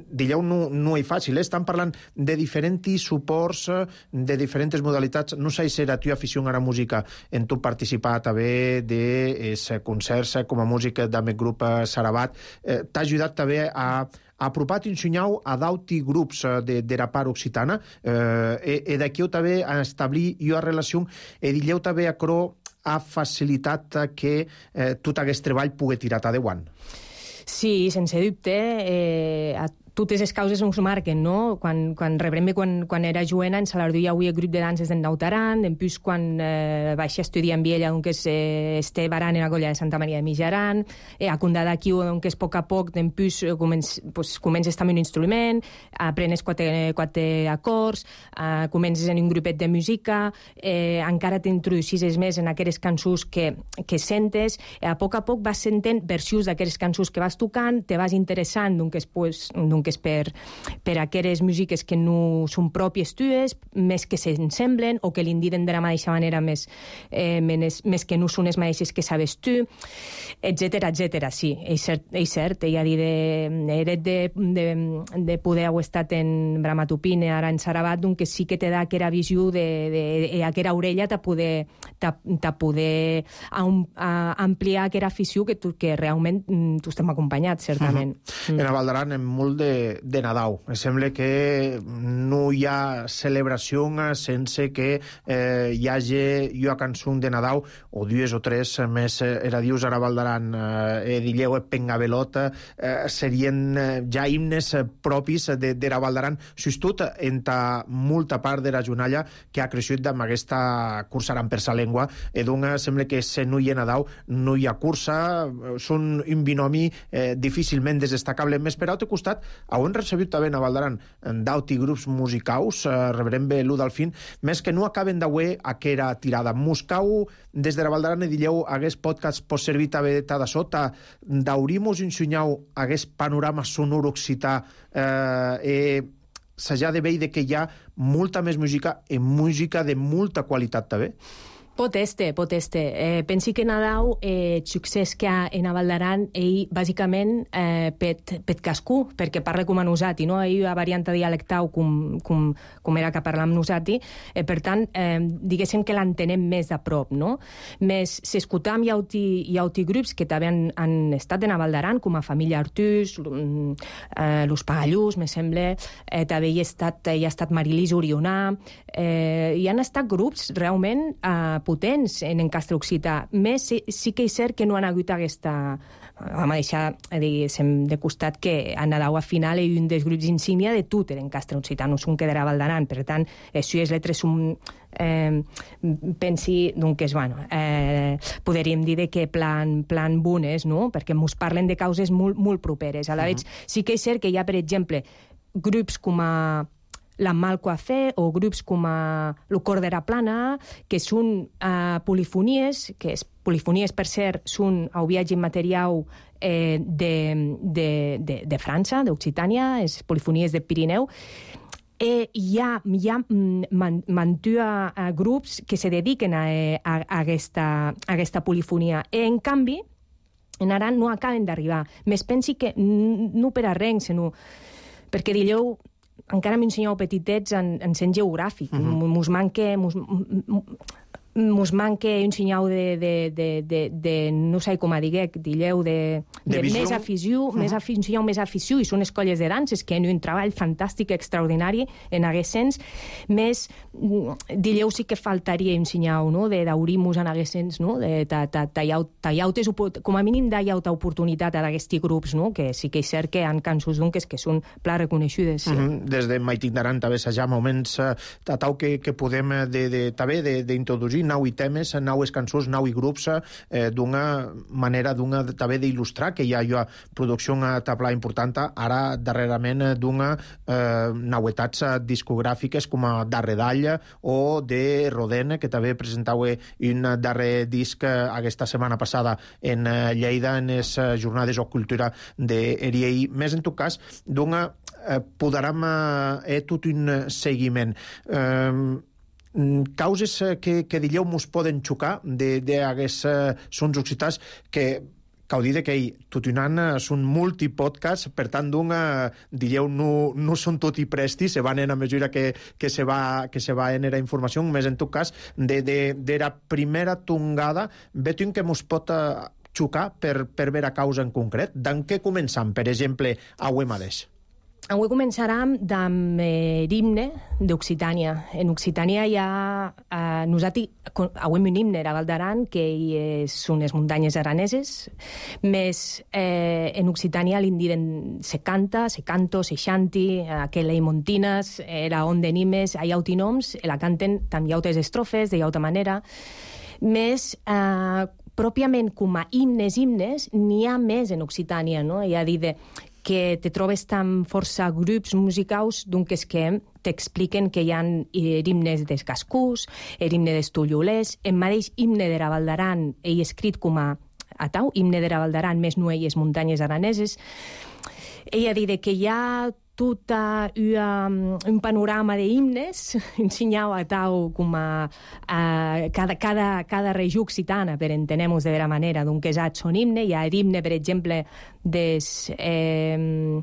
dilleu no, no és fàcil, eh? Estan parlant de diferents suports, de diferents modalitats. No sé si era tu afició a la música, en tu participar també de eh, concerts com a música del meu grup eh, Sarabat. Eh, T'ha ajudat també a apropar t'ensenyau a d'auti grups de, de la part occitana eh, e, e d'aquí també a establir una relació e dilleu també a cro ha facilitat que eh, tot aquest treball pugui tirar endavant. Sí, sense dubte. Eh, a totes les causes ens marquen, no? Quan, quan rebrem quan, quan era joena, en Salardú hi havia grup de danses d'en Nautaran, després quan eh, vaig estudiar amb ella, doncs eh, este baran en la colla de Santa Maria de Mijaran, eh, a Condà d'aquí, doncs a poc a poc, després eh, comences, pues, comences també un instrument, aprenes quatre, quatre acords, eh, comences en un grupet de música, eh, encara t'introduïssis més en aquelles cançons que, que sentes, eh, a poc a poc vas sentent versions d'aquelles cançons que vas tocant, te vas interessant, doncs, pues, doncs que és per, per aquelles músiques que no són pròpies tues, més que s'ensemblen o que l'indiden de la mateixa manera més, eh, més, més que no són les mateixes que sabes tu, etcètera, etcètera. Sí, és cert, és cert. Ella dir de, eres de, de, de poder haver estat en Bramatupine, ara en Sarabat, doncs sí que te da aquella visió de, de, de aquella orella te poder, te, te poder a, a ampliar aquella afició que, tu, que realment tu estem acompanyats, certament. Uh-huh. Mm. En Valdaran, en molt de de Nadal. Em sembla que no hi ha celebració sense que eh, hi hagi una cançó de Nadal o dues o tres més eh, era dius ara Valdaran eh, dilleu Pengabelot eh, serien eh, ja himnes eh, propis de, de la Valdaran justut entre molta part de la Junalla que ha crescut amb aquesta cursa aran per sa llengua i doncs sembla que se no hi ha Nadal no hi ha cursa, són un binomi eh, difícilment desdestacable. Més per altre costat on recebut també a Valdaran d'auti grups musicaus, eh, rebrem bé l'u del fin, més que no acaben d'auer aquera tirada. Muscau, des de la Valdaran, dilleu, hagués podcast pot servir també de sota, d'aurimos ensenyau hagués panorama sonor occità eh, eh, s'ha de veure que hi ha molta més música i música de molta qualitat també. Pot este, pot este. Eh, pensi que Nadal, eh, el succés que ha en Valdaran, ell, bàsicament, eh, pet, pet cascú, perquè parla com a nosati, no? Ell ha variant dialectau com, com, com era que parla amb nosati, eh, per tant, eh, diguéssim que l'entenem més a prop, no? Més, s'escoltam hi ha auti grups que també han, han estat en Valdaran, com a Família Artús, eh, Los Pagallús, me sembla, eh, també hi ha estat, hi ha estat Marilís Orionà, eh, hi han estat grups realment eh, potents en encastre occità. Més sí, sí que és cert que no han hagut aquesta... Vam deixar de costat que a Nadal a final hi ha un dels grups insígnia de tot l'encastre occità, no són que de la Valdaran. Per tant, això és letres són... Eh, pensi, doncs, bueno, eh, podríem dir que plan, plan bones, no? Perquè ens parlen de causes molt, molt properes. A la vegada, uh-huh. Sí que és cert que hi ha, per exemple, grups com a la Malcoafé o grups com a lo Cordera Plana, que són uh, polifonies, que és, polifonies, per cert, són el viatge material eh, de, de, de, de França, d'Occitània, és polifonies de Pirineu. Eh, hi ha, hi ha man, mantua uh, grups que se dediquen a, a, a, aquesta, a aquesta polifonia. I, en canvi, en Aran no acaben d'arribar. Més pensi que no per a res, sinó perquè dilleu encara m'ensenyeu petitets en, en sent geogràfic. Mm-hmm. Mos manque... Mos, mos manque un senyal de, de, de, de, de no sé com a diguec, dilleu, de, de, de més afició, uh-huh. més afició, un senyal més afició, i són escolles de danses que han un treball fantàstic, extraordinari en aguest sens, més, dilleu sí que faltaria un senyal, no?, de d'aurir-mos en aguest sens, no?, de tallautes, com a mínim d'allaut oportunitat a d'aquests grups, no?, que sí que és cert que han cançons d'unques que són pla reconeixudes. Sí. Uh-huh. Des de Maitic d'Aran també s'ha moments uh, tatau que, que podem de, de, també d'introduir nou i temes, nou cançons, nou i grups, eh, d'una manera d'una també d'il·lustrar que hi ha una producció a tabla important ara darrerament d'una eh, nauetats discogràfiques com a Darre Dalla o de Rodene, que també presentava un darrer disc aquesta setmana passada en Lleida en les jornades o cultura d'Eriei. Més en tot cas, d'una eh, podrem eh, tot un seguiment. Eh, causes que, que dilleu mos poden xocar d'aquests sons occitans que cau dir que tot un any són multipodcasts, per tant, d'una, dilleu, no, no són tot i presti, se van en a mesura que, que se va que se va en era informació, més en tot cas, de, de, de la primera tongada, veig que mos pot xocar per, per veure a causa en concret. D'en què començam, per exemple, a avui mateix? Avui començarem amb eh, l'himne d'Occitània. En Occitània hi ha... Eh, nosaltres, avui un himne a Val d'Aran, que hi són les muntanyes araneses, més eh, en Occitània l'indiren se canta, se canto, se xanti, aquella i montines, era on de nimes, hi ha autinoms, la canten també llautes estrofes, de llauta manera, més... Eh, pròpiament com a himnes, himnes, n'hi ha més en Occitània, no? Hi ha dit de... que te trobes tan força grups musicals doncs que t'expliquen que hi ha himnes dels cascús, l'himne dels tullolers, el mateix himne de la Val d'Aran, ell escrit com a atau, himne de la Val d'Aran, més nuelles muntanyes araneses. Ell ha dit que hi ha tot uh, un panorama d'himnes, un senyal a tau com a uh, cada, cada, cada regió occitana, per entenem-nos de vera manera, d'un que són himne. Hi ha l'himne, per exemple, des... Eh,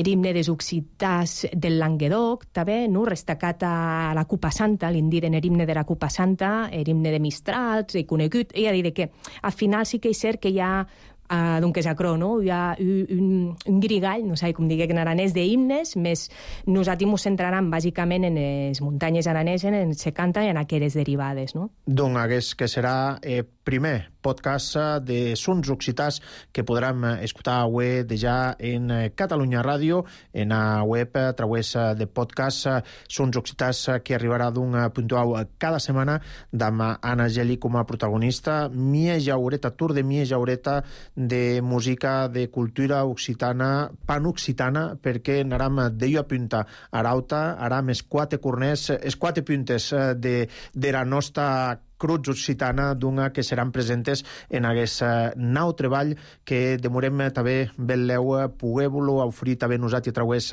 l'himne dels occitans del Languedoc, també, no? Restacat a la Cupa Santa, l'indiren l'himne de la Cupa Santa, l'himne de Mistrals, i conegut. Ell ha dit que al final sí que és cert que hi ha Uh, d'un que és acrò, no? Hi ha un, un, un grigall, no sé com digué en aranès, d'himnes, més nosaltres ens centrarem bàsicament en les muntanyes araneses, en se canta i en aquelles derivades, no? Doncs hagués que serà eh, primer podcast de sons occitans que podrem escoltar avui ja en Catalunya Ràdio, en la web a través de podcast sons occitans que arribarà d'un puntual cada setmana amb Anna Geli com a protagonista. Mia Jaureta, tour de Mia Jaureta de música, de cultura occitana, pan-occitana, perquè anàrem d'ello a punta arauta, aram els quatre corners, els quatre puntes de, de la nostra cruz occitana d'una que seran presentes en aquest nou treball que demorem també beleu poder-lo oferir també nosaltres a través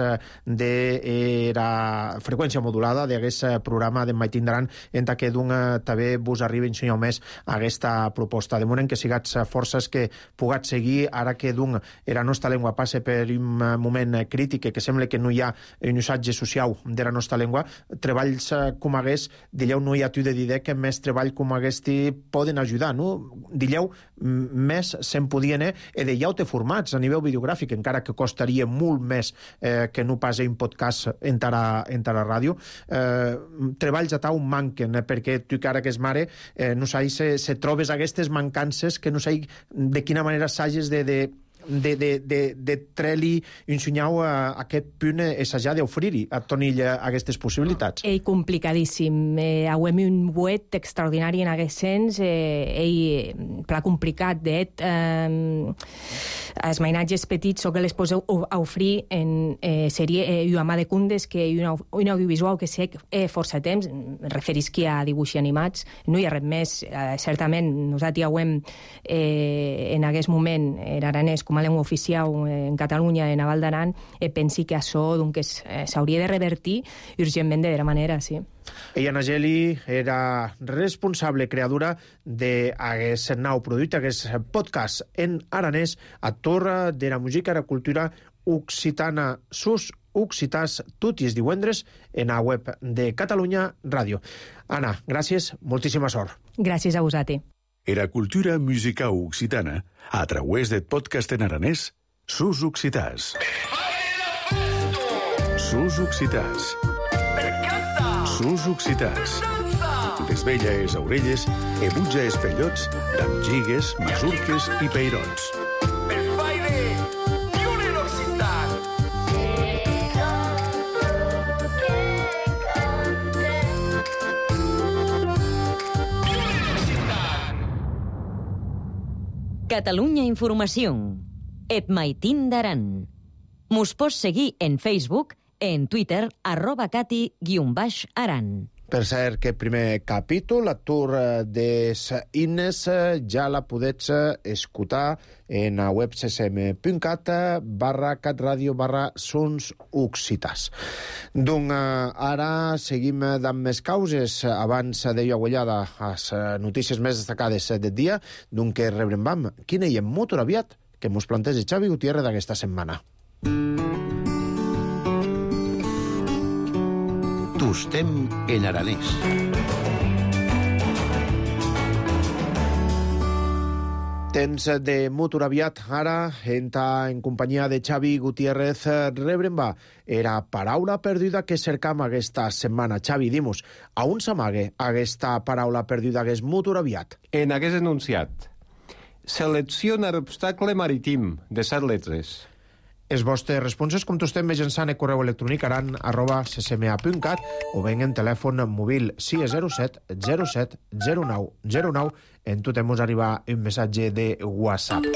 de la freqüència modulada d'aquest programa de Maitic d'Aran, en què d'una també vos arriba un senyor més a aquesta proposta. Demorem que sigats forces que pugats seguir ara que d'un la nostra llengua passe per un moment crític, que sembla que no hi ha un usatge social de la nostra llengua. Treballs com hagués, dilleu, no hi ha tu de dir que més treball com aquesti poden ajudar, no? Dilleu, més se'n podien eh, e de llaute formats a nivell videogràfic, encara que costaria molt més eh, que no pas un podcast entre a, entre a ràdio. Eh, treballs a tau manquen, eh, perquè tu que ara que és mare, eh, no sé, se, se trobes aquestes mancances que no sé de quina manera s'hages de... de de, de, de, de tre-li ensenyar a aquest punt assajar d'oferir-hi a Tonill aquestes possibilitats. Ell complicadíssim. Eh, Auem un buet extraordinari en aquest sens. Eh, ell, pla complicat, d'et. Eh, els mainatges petits o que les poseu a oferir en eh, sèrie eh, Uamà de Cundes, que és un, un audiovisual que sé eh, força temps, referisqui a dibuixos animats. No hi ha res més. Eh, certament, nosaltres auem eh, en aquest moment en aranès com a llengua oficial en Catalunya, en Val d'Aran, eh, pensi que això doncs, eh, s'hauria de revertir urgentment de la manera, sí. Ella, Anna Geli, era responsable creadora d'aquest nou producte, aquest podcast en aranès, actor de la música i la cultura occitana. Sus Occitàs, tot i els divendres, en la web de Catalunya Ràdio. Anna, gràcies, moltíssima sort. Gràcies a vosaltres. Era cultura musical occitana a través del podcast en aranès Sus Occitàs. Sus Occitàs. Sus Occitàs. Les velles orelles e butja espellots d'amb gigues, masurques i peirons. Catalunya Informació. Et maitin d'aran. Mos pots seguir en Facebook, en Twitter, arroba cati guion baix aran. Per cert, que primer capítol, la tour des himnes, ja la podets escoltar en la web ccm.cat barra catradio barra sons occitàs. Donc, ara seguim amb més causes. Abans deia Aguellada les notícies més destacades del dia, donc que rebrem vam. Quina hi ha molt aviat que mos planteja Xavi Gutiérrez d'aquesta setmana. Tostem en aranès. Temps de motor aviat, ara, entra en companyia de Xavi Gutiérrez, rebrem va. Era paraula perduda que cercam aquesta setmana. Xavi, dimus, a on s'amague aquesta paraula perduda que és motor aviat? En aquest enunciat. Selecciona l'obstacle marítim, de set letres. Els vostres responses com tostem mitjançant el correu electrònic aran arroba ccma.cat o ben en telèfon mòbil sis zero set zero set zero nou zero nou. En tot hemos arribar un missatge de WhatsApp.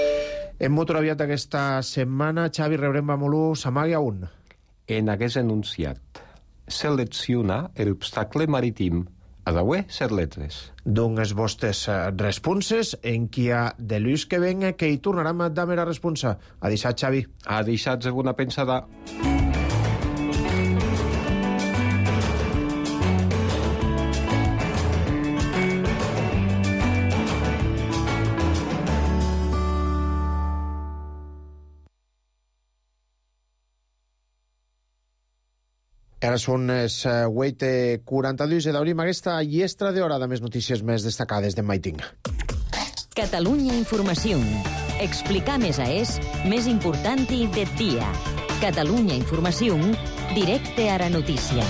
En motor aviat aquesta setmana, Xavi, rebrem a Molú, s'amague a un. En aquest enunciat. Selecciona l'obstacle marítim. A daué, set letres. Doncs els vostres responses en qui ha de l'ús que venga que hi tornarem a dar mera responsa. A deixat, Xavi. A deixat una pensada. Ara són les vuit i quaranta-dos i d'obrim aquesta llestra d'hora de més notícies més destacades de Maiting. Catalunya Informació. Explicar més a és més important i de dia. Catalunya Informació, directe a la notícia.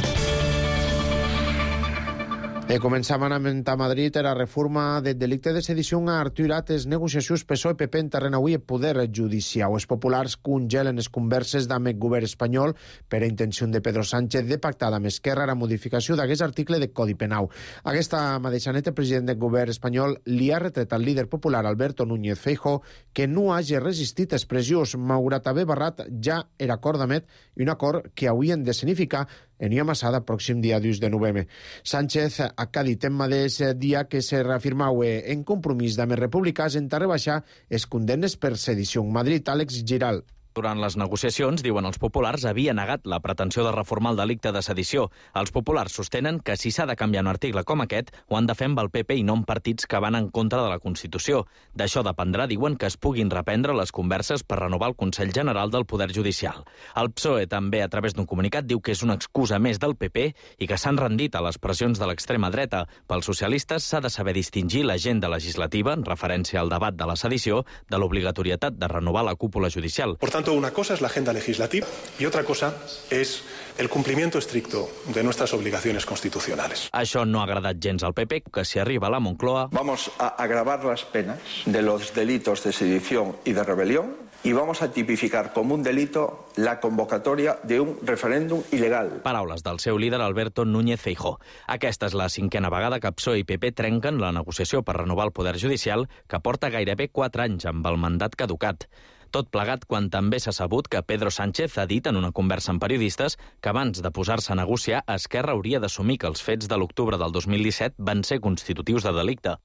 E començam a Madrid la reforma del delicte de sedició ha aturat les negociacions P S O E P P en terreny avui el poder judicial. Els populars congelen les converses amb el govern espanyol per a intenció de Pedro Sánchez de pactar amb Esquerra la modificació d'aquest article de Codi Penal. Aquesta mateixa nit, el president del govern espanyol li ha retret al líder popular Alberto Núñez Feijóo que no hagi resistit expressions malgrat haver barrat ja l'acord d'Amet i un acord que haurien de significar en una massada pròxim dia dos de novembre. Sánchez ha dit en mateix dia que se reafirmau en compromís d'amb republicans en rebaixar els condemnes per sedició. Madrid, Àlex Giral. Durant les negociacions, diuen els populars, havia negat la pretensió de reformar el delicte de sedició. Els populars sostenen que si s'ha de canviar un article com aquest, ho han de fer amb el P P i no amb partits que van en contra de la Constitució. D'això dependrà, diuen, que es puguin reprendre les converses per renovar el Consell General del Poder Judicial. El P S O E també, a través d'un comunicat, diu que és una excusa més del P P i que s'han rendit a les pressions de l'extrema dreta. Pels socialistes s'ha de saber distingir l'agenda legislativa, en referència al debat de la sedició, de l'obligatorietat de renovar la cúpula judicial. Por tanto, una cosa es la agenda legislativa y otra cosa es el cumplimiento estricto de nuestras obligaciones constitucionales. Això no ha agradat gens al P P, que si arriba a la Moncloa... Vamos a agravar las penas de los delitos de sedición y de rebelión y vamos a tipificar como un delito la convocatoria de un referéndum ilegal. Paraules del seu líder Alberto Núñez Feijóo. Aquesta és la cinquena vegada que P S O E i P P trenquen la negociació per renovar el Poder Judicial, que porta gairebé quatre anys amb el mandat caducat. Tot plegat quan també s'ha sabut que Pedro Sánchez ha dit en una conversa amb periodistes que abans de posar-se a negociar, Esquerra hauria d'assumir que els fets de l'octubre del dos mil disset van ser constitutius de delicte.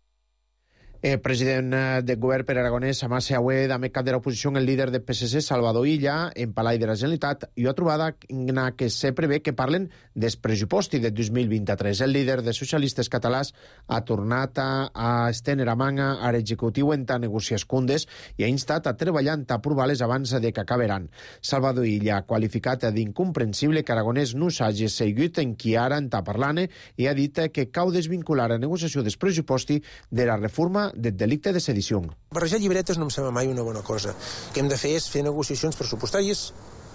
El president del govern per Aragonès, Amase Aué, també cap de l'oposició, el líder del P S C, Salvador Illa, en Palai de la Generalitat, i ho ha trobat en què se prevé que parlen del pressupost de dos mil vint-i-tres. El líder de socialistes catalans ha tornat a, a estendre a manga a l'executiu en tant negociar cundes i ha instat a treballar a aprovar-les abans de que acabaran. Salvador Illa ha qualificat d'incomprensible que Aragonès no s'hagi seguit en qui ara en està parlant i ha dit que cau desvincular la negociació del pressupost de la reforma del delicte de sedició. Barrejar llibretes no em sembla mai una bona cosa. El que hem de fer és fer negociacions pressupostàries,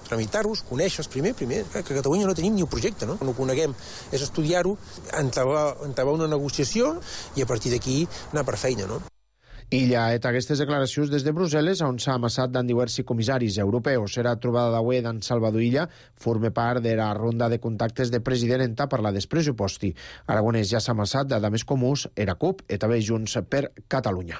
tramitar-los, conèixer-los primer, primer, que a Catalunya no tenim ni un projecte, no? No ho coneguem, és estudiar-ho, entablar una negociació i a partir d'aquí anar per feina, no? Illa ha fet aquestes declaracions des de Brussel·les, on s'ha amassat d'en diversos comissaris europeus. Era trobada d'avui d'en Salvador Illa, forma part de la ronda de contactes de president en ta parlar del pressupost. Aragonès ja s'ha amassat de més comuns, era C U P i també Junts per Catalunya.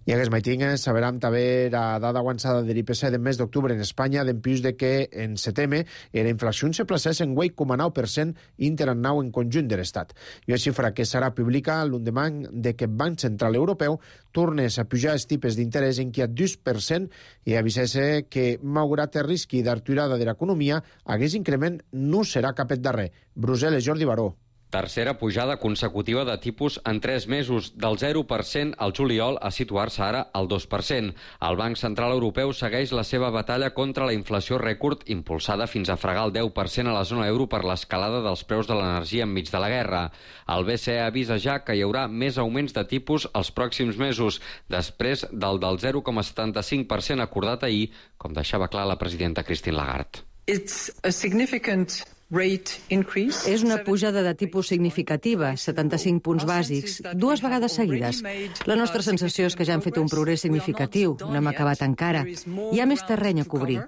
I aquest maiting saberem també la dada avançada de l'I P C del mes d'octubre en Espanya, d'empús de que en setembre la inflació se placés en vuit coma nou per cent interanual en conjunt de l'Estat. I una xifra que serà publicada l'endemà de que el Banc Central Europeu tornés a pujar els tipus d'interès en qui a dos per cent i avisés que, malgrat el risc d'aturada de l'economia, aquest increment no serà cap et darrer. Brussel·les, Jordi Baró. Tercera pujada consecutiva de tipus en tres mesos, del zero per cent al juliol a situar-se ara al dos per cent. El Banc Central Europeu segueix la seva batalla contra la inflació rècord, impulsada fins a fregar el deu per cent a la zona euro per l'escalada dels preus de l'energia enmig de la guerra. El B C E avisa ja que hi haurà més augments de tipus els pròxims mesos, després del del zero coma setanta-cinc per cent acordat ahir, com deixava clar la presidenta Christine Lagarde. It's a significant És una pujada de tipus significativa, setanta-cinc punts bàsics, dues vegades seguides. La nostra sensació és que ja hem fet un progrés significatiu, no hem acabat encara. Hi ha més terreny a cobrir.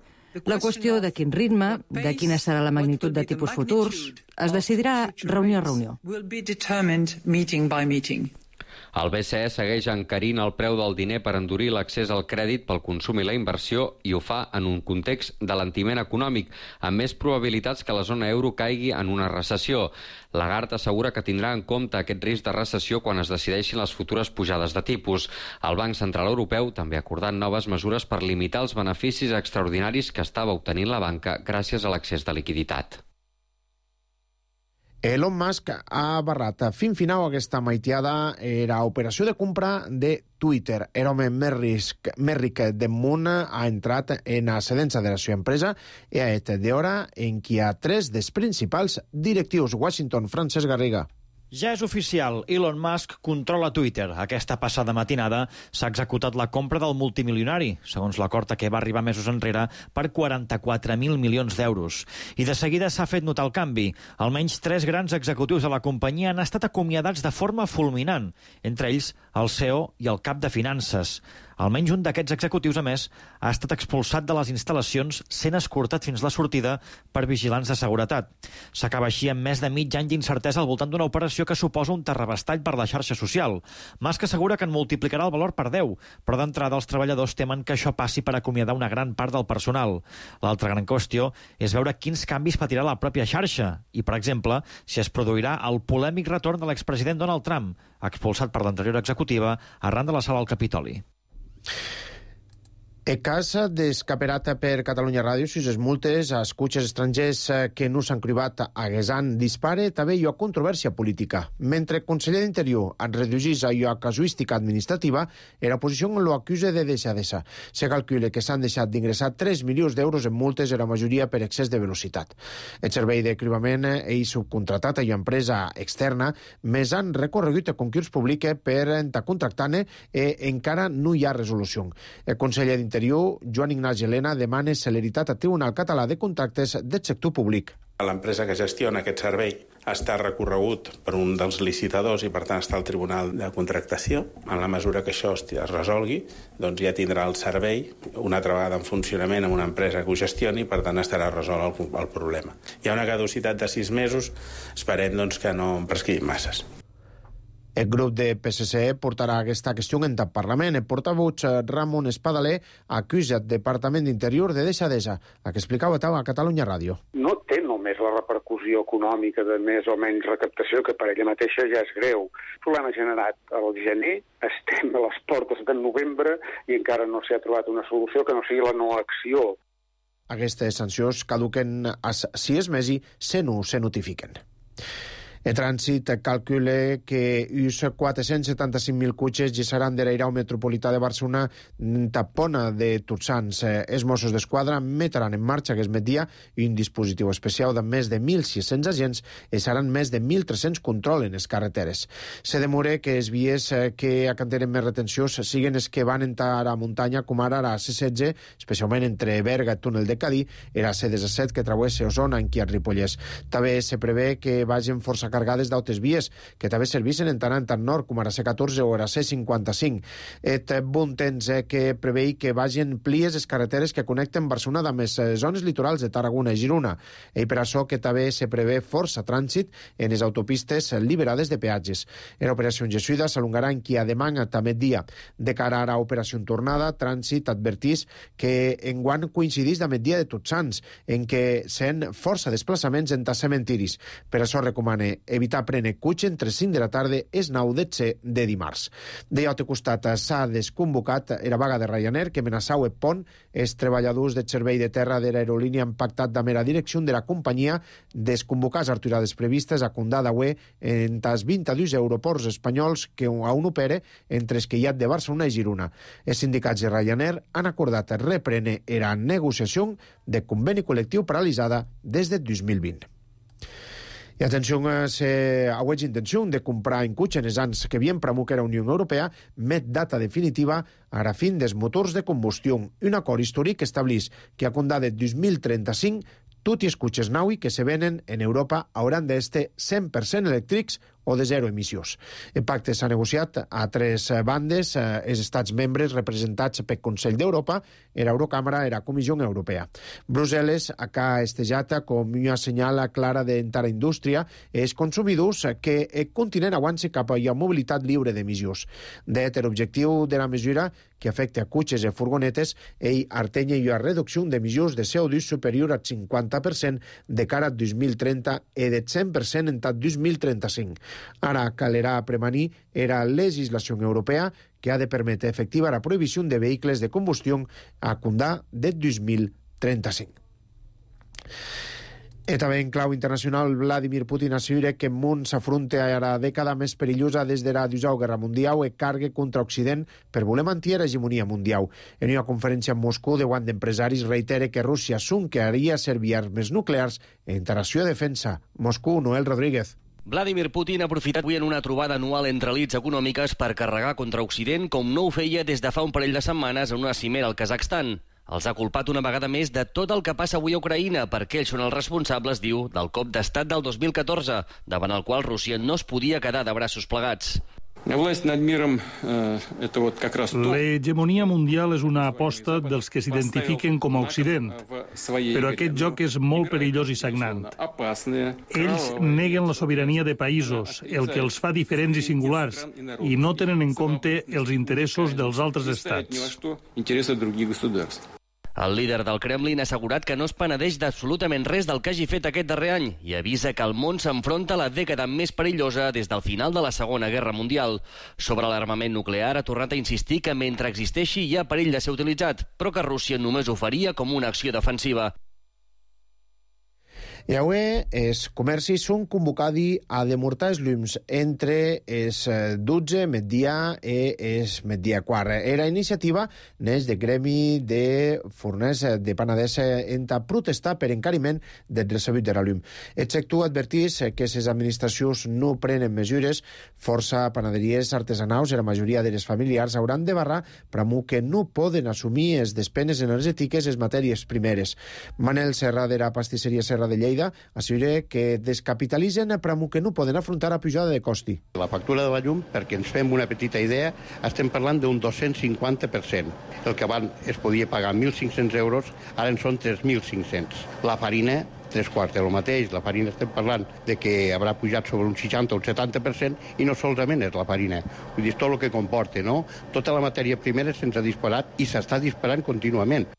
La qüestió de quin ritme, de quina serà la magnitud de tipus futurs, es decidirà reunió a reunió. El B C E segueix encarint el preu del diner per endurir l'accés al crèdit pel consum i la inversió i ho fa en un context d'alentiment econòmic, amb més probabilitats que la zona euro caigui en una recessió. Lagarde assegura que tindrà en compte aquest risc de recessió quan es decideixin les futures pujades de tipus. El Banc Central Europeu també ha acordat noves mesures per limitar els beneficis extraordinaris que estava obtenint la banca gràcies a l'accés de liquiditat. Elon Musk ha barrat fin final aquesta maitiada era operació de compra de Twitter. El home més ric, més ric del món ha entrat en ascendència de la seva empresa i ha estat d'hora en què hi ha tres dels principals directius. Washington, Francesc Garriga. Ja és oficial, Elon Musk controla Twitter. Aquesta passada matinada s'ha executat la compra del multimilionari, segons l'acord a què va arribar mesos enrere, per quaranta-quatre mil milions d'euros. I de seguida s'ha fet notar el canvi. Almenys tres grans executius de la companyia han estat acomiadats de forma fulminant, entre ells el C E O i el cap de finances. Almenys un d'aquests executius, a més, ha estat expulsat de les instal·lacions sent escortat fins la sortida per vigilants de seguretat. S'acaba així amb més de mig any d'incertesa al voltant d'una operació que suposa un terrabastall per la xarxa social. Musk assegura que en multiplicarà el valor per deu, però d'entrada els treballadors temen que això passi per acomiadar una gran part del personal. L'altra gran qüestió és veure quins canvis patirà la pròpia xarxa i, per exemple, si es produirà el polèmic retorn de l'expresident Donald Trump, expulsat per l'anterior executiva arran de l'assalt al Capitoli. El cas descaperat per Catalunya Ràdio, si les multes a escuches estrangers que no s'han cribat a Guesan dispare, també hi ha controvèrsia política. Mentre el conseller d'Interior en reduïs a la casuística administrativa, la oposició lo acusa de deixadesa. Se calcula que s'han deixat d'ingressar tres milions d'euros en multes, la majoria per excés de velocitat. El servei de cribament és subcontratat a una empresa externa, més han recorregut a concurs públic per contractar-ne i encara no hi ha resolució. El conseller d'Interior Joan Ignasi Elena demana celeritat al Tribunal Català de Contractes del sector públic. L'empresa que gestiona aquest servei està recorregut per un dels licitadors i per tant està al Tribunal de Contractació. En la mesura que això es resolgui, doncs ja tindrà el servei una altra vegada en funcionament amb una empresa que ho gestioni i per tant estarà resolt el, el problema. Hi ha una caducitat de sis mesos, esperem doncs, que no prescriguin masses. El grup de P S C portarà aquesta qüestió en el Parlament. El portaveu Ramon Espadaler acusa el Departament d'Interior de deixadesa, el que explicava a Catalunya Ràdio. No té només és la repercussió econòmica de més o menys recaptació, que per ella mateixa ja és greu. El problema generat al gener, estem a les portes del novembre i encara no s'ha trobat una solució que no sigui la no acció. Aquestes sancions caduquen a sis mesos se no se notifiquen. El trànsit calcula que uns quatre-cents setanta-cinc mil cotxes gessaran de l'airau metropolità de Barcelona tapona de tots sants. Els Mossos d'Esquadra metran en marxa aquest migdia un dispositiu especial de més de mil sis-cents agents i seran més de mil tres-cents controls en les carreteres. Se demora que els vies que acanteren més retencions siguin els que van entrar a muntanya, com ara la C setze, especialment entre Berga i Túnel de Cadí, i la C disset que travessa Osona, en Ripollès. També se prevé que vagin força cargades d'altres vies, que també servissin en tant en tant nord, com a la C catorze o a la C cinquanta-cinc. Et bon temps eh, que prevei que vagin plies les carreteres que connecten Barcelona amb les zones litorals de Tarragona i Girona. I per això que també se prevé força trànsit en les autopistes liberades de peatges. En l'operació Jesuïda s'alongarà en qui a demà també dia. De cara a l'operació Tornada, Trànsit advertís que enguany coincidís amb el dia de Tots Sants, en què sent força desplaçaments entre cementiris. Per això recomana evitar prendre cotxe entre cinc de la tarda és nou de de dimarts. De l'altre costat s'ha desconvocat la vaga de Ryanair que amenaçava el pont. Els treballadors del servei de terra de l'aerolínia han pactat amb la direcció de la companyia desconvocar les aturades previstes a Condada U E entre els vint-i-dos aeroports espanyols que aún opera entre els que hi ha de Barcelona i Girona. Els sindicats de Ryanair han acordat reprendre la negociació de conveni col·lectiu paralitzada des de dos mil vint. I atenció, se aueix intenció de comprar en cotxe en els anys que havien promulgat la Unió Europea, met data definitiva a la fin dels motors de combustió. Un acord històric estableix que a condar de dos mil trenta-cinc tots els cotxes Naui que se venen en Europa hauran d'estar cent per cent elèctrics o de zero emissions. El pacte s'ha negociat a tres bandes, eh, els estats membres representats pel Consell d'Europa, l'Eurocàmera i la Comissió Europea. Brussel·les ha estejat com una senyal clara d'entrar a la indústria els consumidors que el continent avanci cap a la mobilitat lliure d'emissions. De l'objectiu de la mesura que afecta a cotxes i furgonetes, ell artenya una reducció d'emissions de C O dos superior al cinquanta per cent de cara al dos mil trenta i del cent per cent en tot dos mil trenta-cinc. Ara calerà premanir la legislació europea que ha de permetre efectiva la prohibició de vehicles de combustió a condar de dos mil trenta-cinc. I també en clau internacional, Vladimir Putin assegura que el món s'afronta a la dècada més perillosa des de la Segona Guerra Mundial i carga contra Occident per voler mantenir l'hegemonia mundial. En una conferència en Moscou, davant d'empresaris, reitera que Rússia s'unquearia servir armes nuclears en interacció de defensa. Moscou, Noel Rodríguez. Vladimir Putin ha aprofitat avui en una trobada anual entre elites econòmiques per carregar contra Occident com no ho feia des de fa un parell de setmanes en una cimera al Kazakhstan. Els ha culpat una vegada més de tot el que passa avui a Ucraïna perquè ells són els responsables, diu, del cop d'estat del dos mil catorze, davant el qual Rússia no es podia quedar de braços plegats. L'hegemonia mundial és una aposta dels que s'identifiquen com a Occident, però aquest joc és molt perillós i sagnant. Ells neguen la sobirania de països, el que els fa diferents i singulars, i no tenen en compte els interessos dels altres estats. El líder del Kremlin ha assegurat que no es penedeix d'absolutament res del que hagi fet aquest darrer any i avisa que el món s'enfronta a la dècada més perillosa des del final de la Segona Guerra Mundial. Sobre l'armament nuclear ha tornat a insistir que mentre existeixi hi ha perill de ser utilitzat, però que Rússia només ho faria com una acció defensiva. I avui els comercis són convocats a demortar els llums entre els dotze migdia i els migdia quart. Era iniciativa neix de gremi de forners de Penedès en protestar per encariment del recebut de la llum. El sector advertís que les administracions no prenen mesures, força panaderies artesanals i la majoria de les familiars hauran de barrar pramo que no poden assumir les despeses energètiques i les matèries primeres. Manel Serra de la pastisseria Serra de Lleida assegura que descapitalitzen pramo que no poden afrontar la pujada de costi. La factura de la llum, perquè ens fem una petita idea, estem parlant d'un dos-cents cinquanta per cent. El que abans es podia pagar mil cinc-cents euros, ara en són tres mil cinc-cents. La farina, tres quarts del mateix. La farina estem parlant de que haurà pujat sobre un seixanta o un setanta per cent i no solament és la farina. Vull dir, tot el que comporta, no? Tota la matèria primera se'ns ha disparat i s'està disparant contínuament.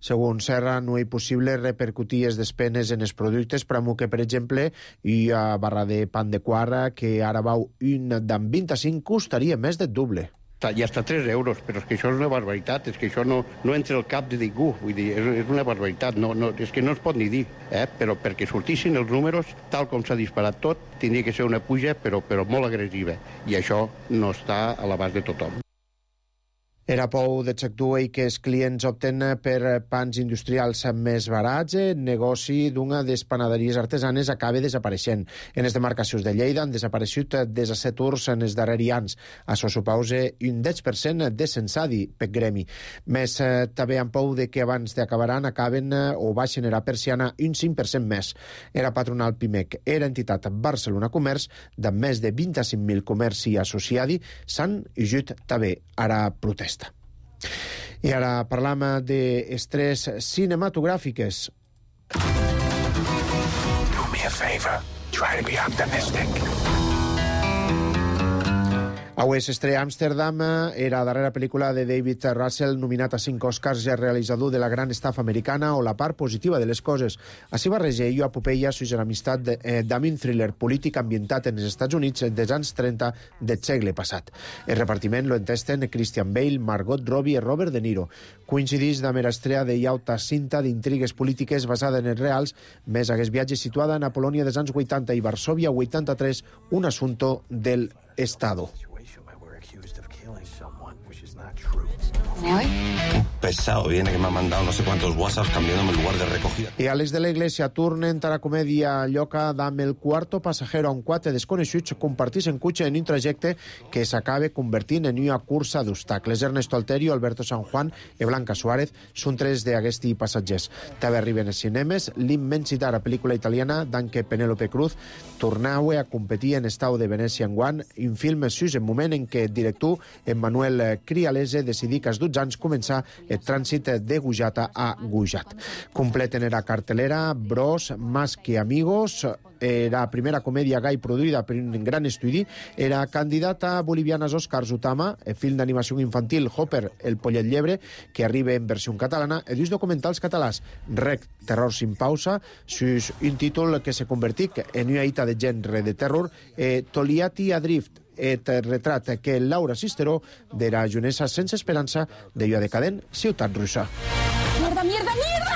Segons Serra, no és possible repercutir les despenes en els productes pramo que, per exemple, i a barra de pan de quadra, que ara vau un d'en vint-i-cinc, costaria més del doble. I hasta tres euros, però és que això és una barbaritat, és que això no, no entra al cap de ningú, vull dir, és, és una barbaritat, no, no, és que no es pot ni dir, eh? Però perquè sortissin els números, tal com s'ha disparat tot, tindria que ser una puja, però, però molt agressiva, i això no està a l'abast de tothom. Era pou de sector i que els clients opten per pans industrials més barats, el negoci d'una de les panaderies artesanes acaba desapareixent. En les demarcacions de Lleida han desaparegut des a set urs en els darrers anys. Això suposa un deu per cent de censadi per gremi. Més eh, també amb pou de que abans d'acabaran acaben eh, o va generar persiana un cinc per cent més. Era patronal Pimec, era entitat Barcelona Comerç, de més de vint-i-cinc mil comerci associadi, s'han ajut també ara protesta. I ara parlam d'estrès cinematogràfiques. Do me a favor. Try to be optimistic. Avui s'estrena Amsterdam, era la darrera pel·lícula de David Russell, nominat a cinc Oscars, ja realitzador de la gran estafa americana o la part positiva de les coses. Així barreja ell a Popeya, suix amistat d'un thriller polític ambientat en els Estats Units dels anys trenta del segle passat. El repartiment lo entesten Christian Bale, Margot Robbie i Robert De Niro. Coincideix de mera estrella de llauta cinta d'intrigues polítiques basada en els reals, més hagués viatge situada en la Polònia dels anys vuitanta i Varsovia vuitanta-tres, un assunto del Estado. Un pesado viene que me ha mandado no sé cuántos WhatsApps cambiándome el lugar de recogida. I Àlex de la Iglesia tornen a la comèdia lloca d'Am el quarto passajero, on quatre desconeguts comparteixen cotxe en un trajecte que s'acaba convertint en una cursa d'obstacles. Ernesto Alterio, Alberto San Juan i Blanca Suárez són tres d'aquests passatgers. També arriben als cinemes l'immensitat, la pel·lícula italiana d'Anche Penélope Cruz, tornau a competir en Estau de Venècia enguany, un film sus en moment en què el director Emmanuel Crialese decidí que als dotze anys començar el trànsit de Gujata a Gujat. Completen era cartelera Bros, Más que Amigos, era primera comèdia gai produïda per un gran estudi, era candidata a bolivianes Oscars Utama, el film d'animació infantil Hopper, el pollet llebre, que arriba en versió catalana, i dos documentals catalans, Rec, Terror sin pausa, sus un títol que se convertic en una hita de gènere de terror, eh, Toliati Adrift, et retrat que Laura Sisteró de la junesa sense esperança de la decadent ciutat russa. Mierda, mierda, mierda!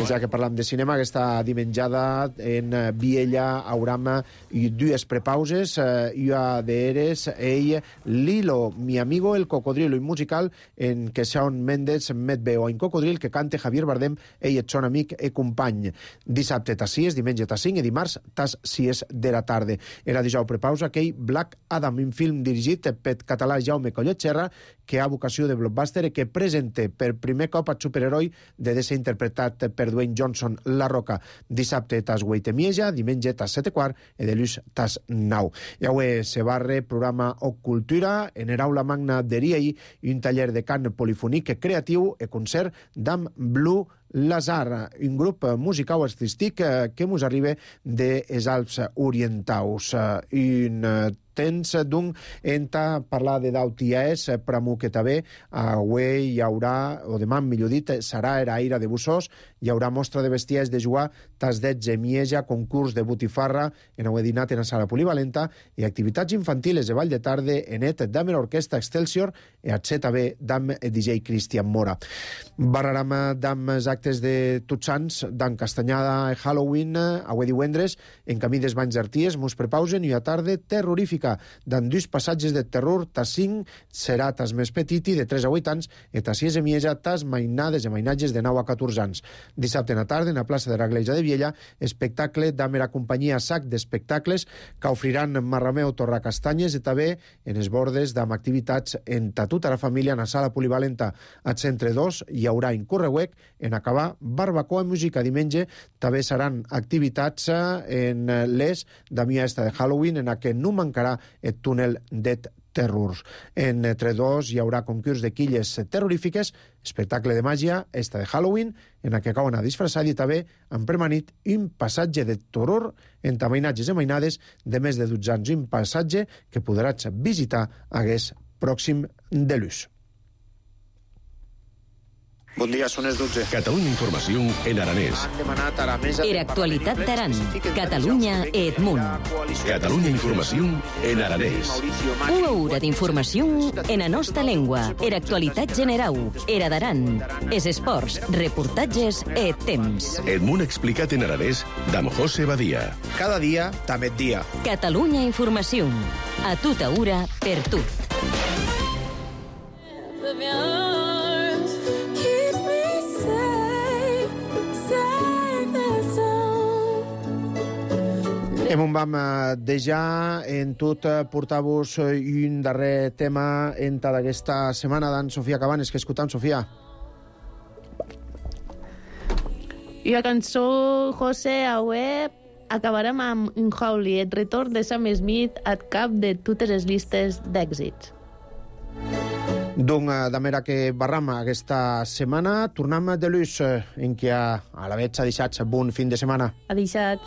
Ja que parlam de cinema, aquesta dimenjada en Viella, Aurama i dues prepauses, eh, i a d'eres ell, Lilo, mi amigo el cocodrilo, un musical en què Shawn Mendes met veu a un cocodril que canta Javier Bardem, ell et son amic i company. Dissabte tas sis, diumenge tas cinc i dimarts tas sis de la tarda. Era dijous prepausa aquell Black Adam, un film dirigit per català Jaume Collet Serra, que ha vocació de blockbuster i que presenta per primer cop el superheroi de ser interpretat per Dwayne Johnson, La Roca. Dissabte tas vuit i mitja, diumenge tas set i quart i dilluns tas nou. I avui se barre programa O Cultura en el aula magna d'Eriei i un taller de cant polifònic creatiu i concert d'Am Blue Lazar, un grup musical artístic que mos arriba dels Alps orientals. Un temps d'un enta parlar de d'Autiaes, pramo que també avui hi haurà, o demà millor dit, serà era aire de Bussós, hi haurà mostra de bestiais de jugar, tas d'etze Mieja, concurs de botifarra, en avui dinat en la sala polivalenta, i activitats infantiles de ball de tarda en et d'am l'orquestra Excelsior i a Z B d'am D J Cristian Mora. Barraram d'am actes de Tots Sants, d'am Castanyada i Halloween, avui divendres, en camí dels Banys d'Arties, mos prepausen i a tarda terrorífica, d'en dos passatges de terror, tas cinc serà tas més petiti, de tres a vuit anys, i tas sis i mitja, tas mainades i mainatges de nou a catorze anys. Dissabte a la tarda, en la plaça de la Gleja de Viella, espectacle d'am la companyia Sac d'Espectacles, que ofriran Marrameu Torracastanyes i també en els bordes d'am activitats en tota la família en la sala polivalenta. Al centre dos hi haurà en Correuec, en acabar barbacoa i música. Diumenge també seran activitats en les d'amia esta de Halloween, en la que no mancarà el túnel de terrors. Entre dos hi haurà concurs de quilles terrorífiques, espectacle de màgia, esta de Halloween, en la que acaben a disfressar i també han permanit un passatge de terror entre mainatges i mainades de més de dotze anys, un passatge que podràs visitar hagués pròxim de l'ús. Bon dia, són les dotze. Catalunya Informació en aranès. Han demanat a la mesa... Era actualitat d'Aran. Catalunya Edmunt. Catalunya Informació en aranès. Una hora d'informació en la nostra llengua. Era actualitat generau. Era d'Aran. És esports, reportatges e temps. Edmunt explicat en aranès d'Am José Badia. Cada dia, també et dia. Catalunya Informació. A tota hora, per tu. Hem un vam deixar en tot portar-vos un darrer tema en d'aquesta setmana d'en Sofia Cabanes, que escoltam, Sofia. I la cançó, José, avui acabarem amb un Howley, el retorn de Sam Smith al cap de totes les llistes d'èxits. Doncs, de manera que barram aquesta setmana, tornem de l'ús en què a la veig ha deixat bon fin de setmana. Ha deixat...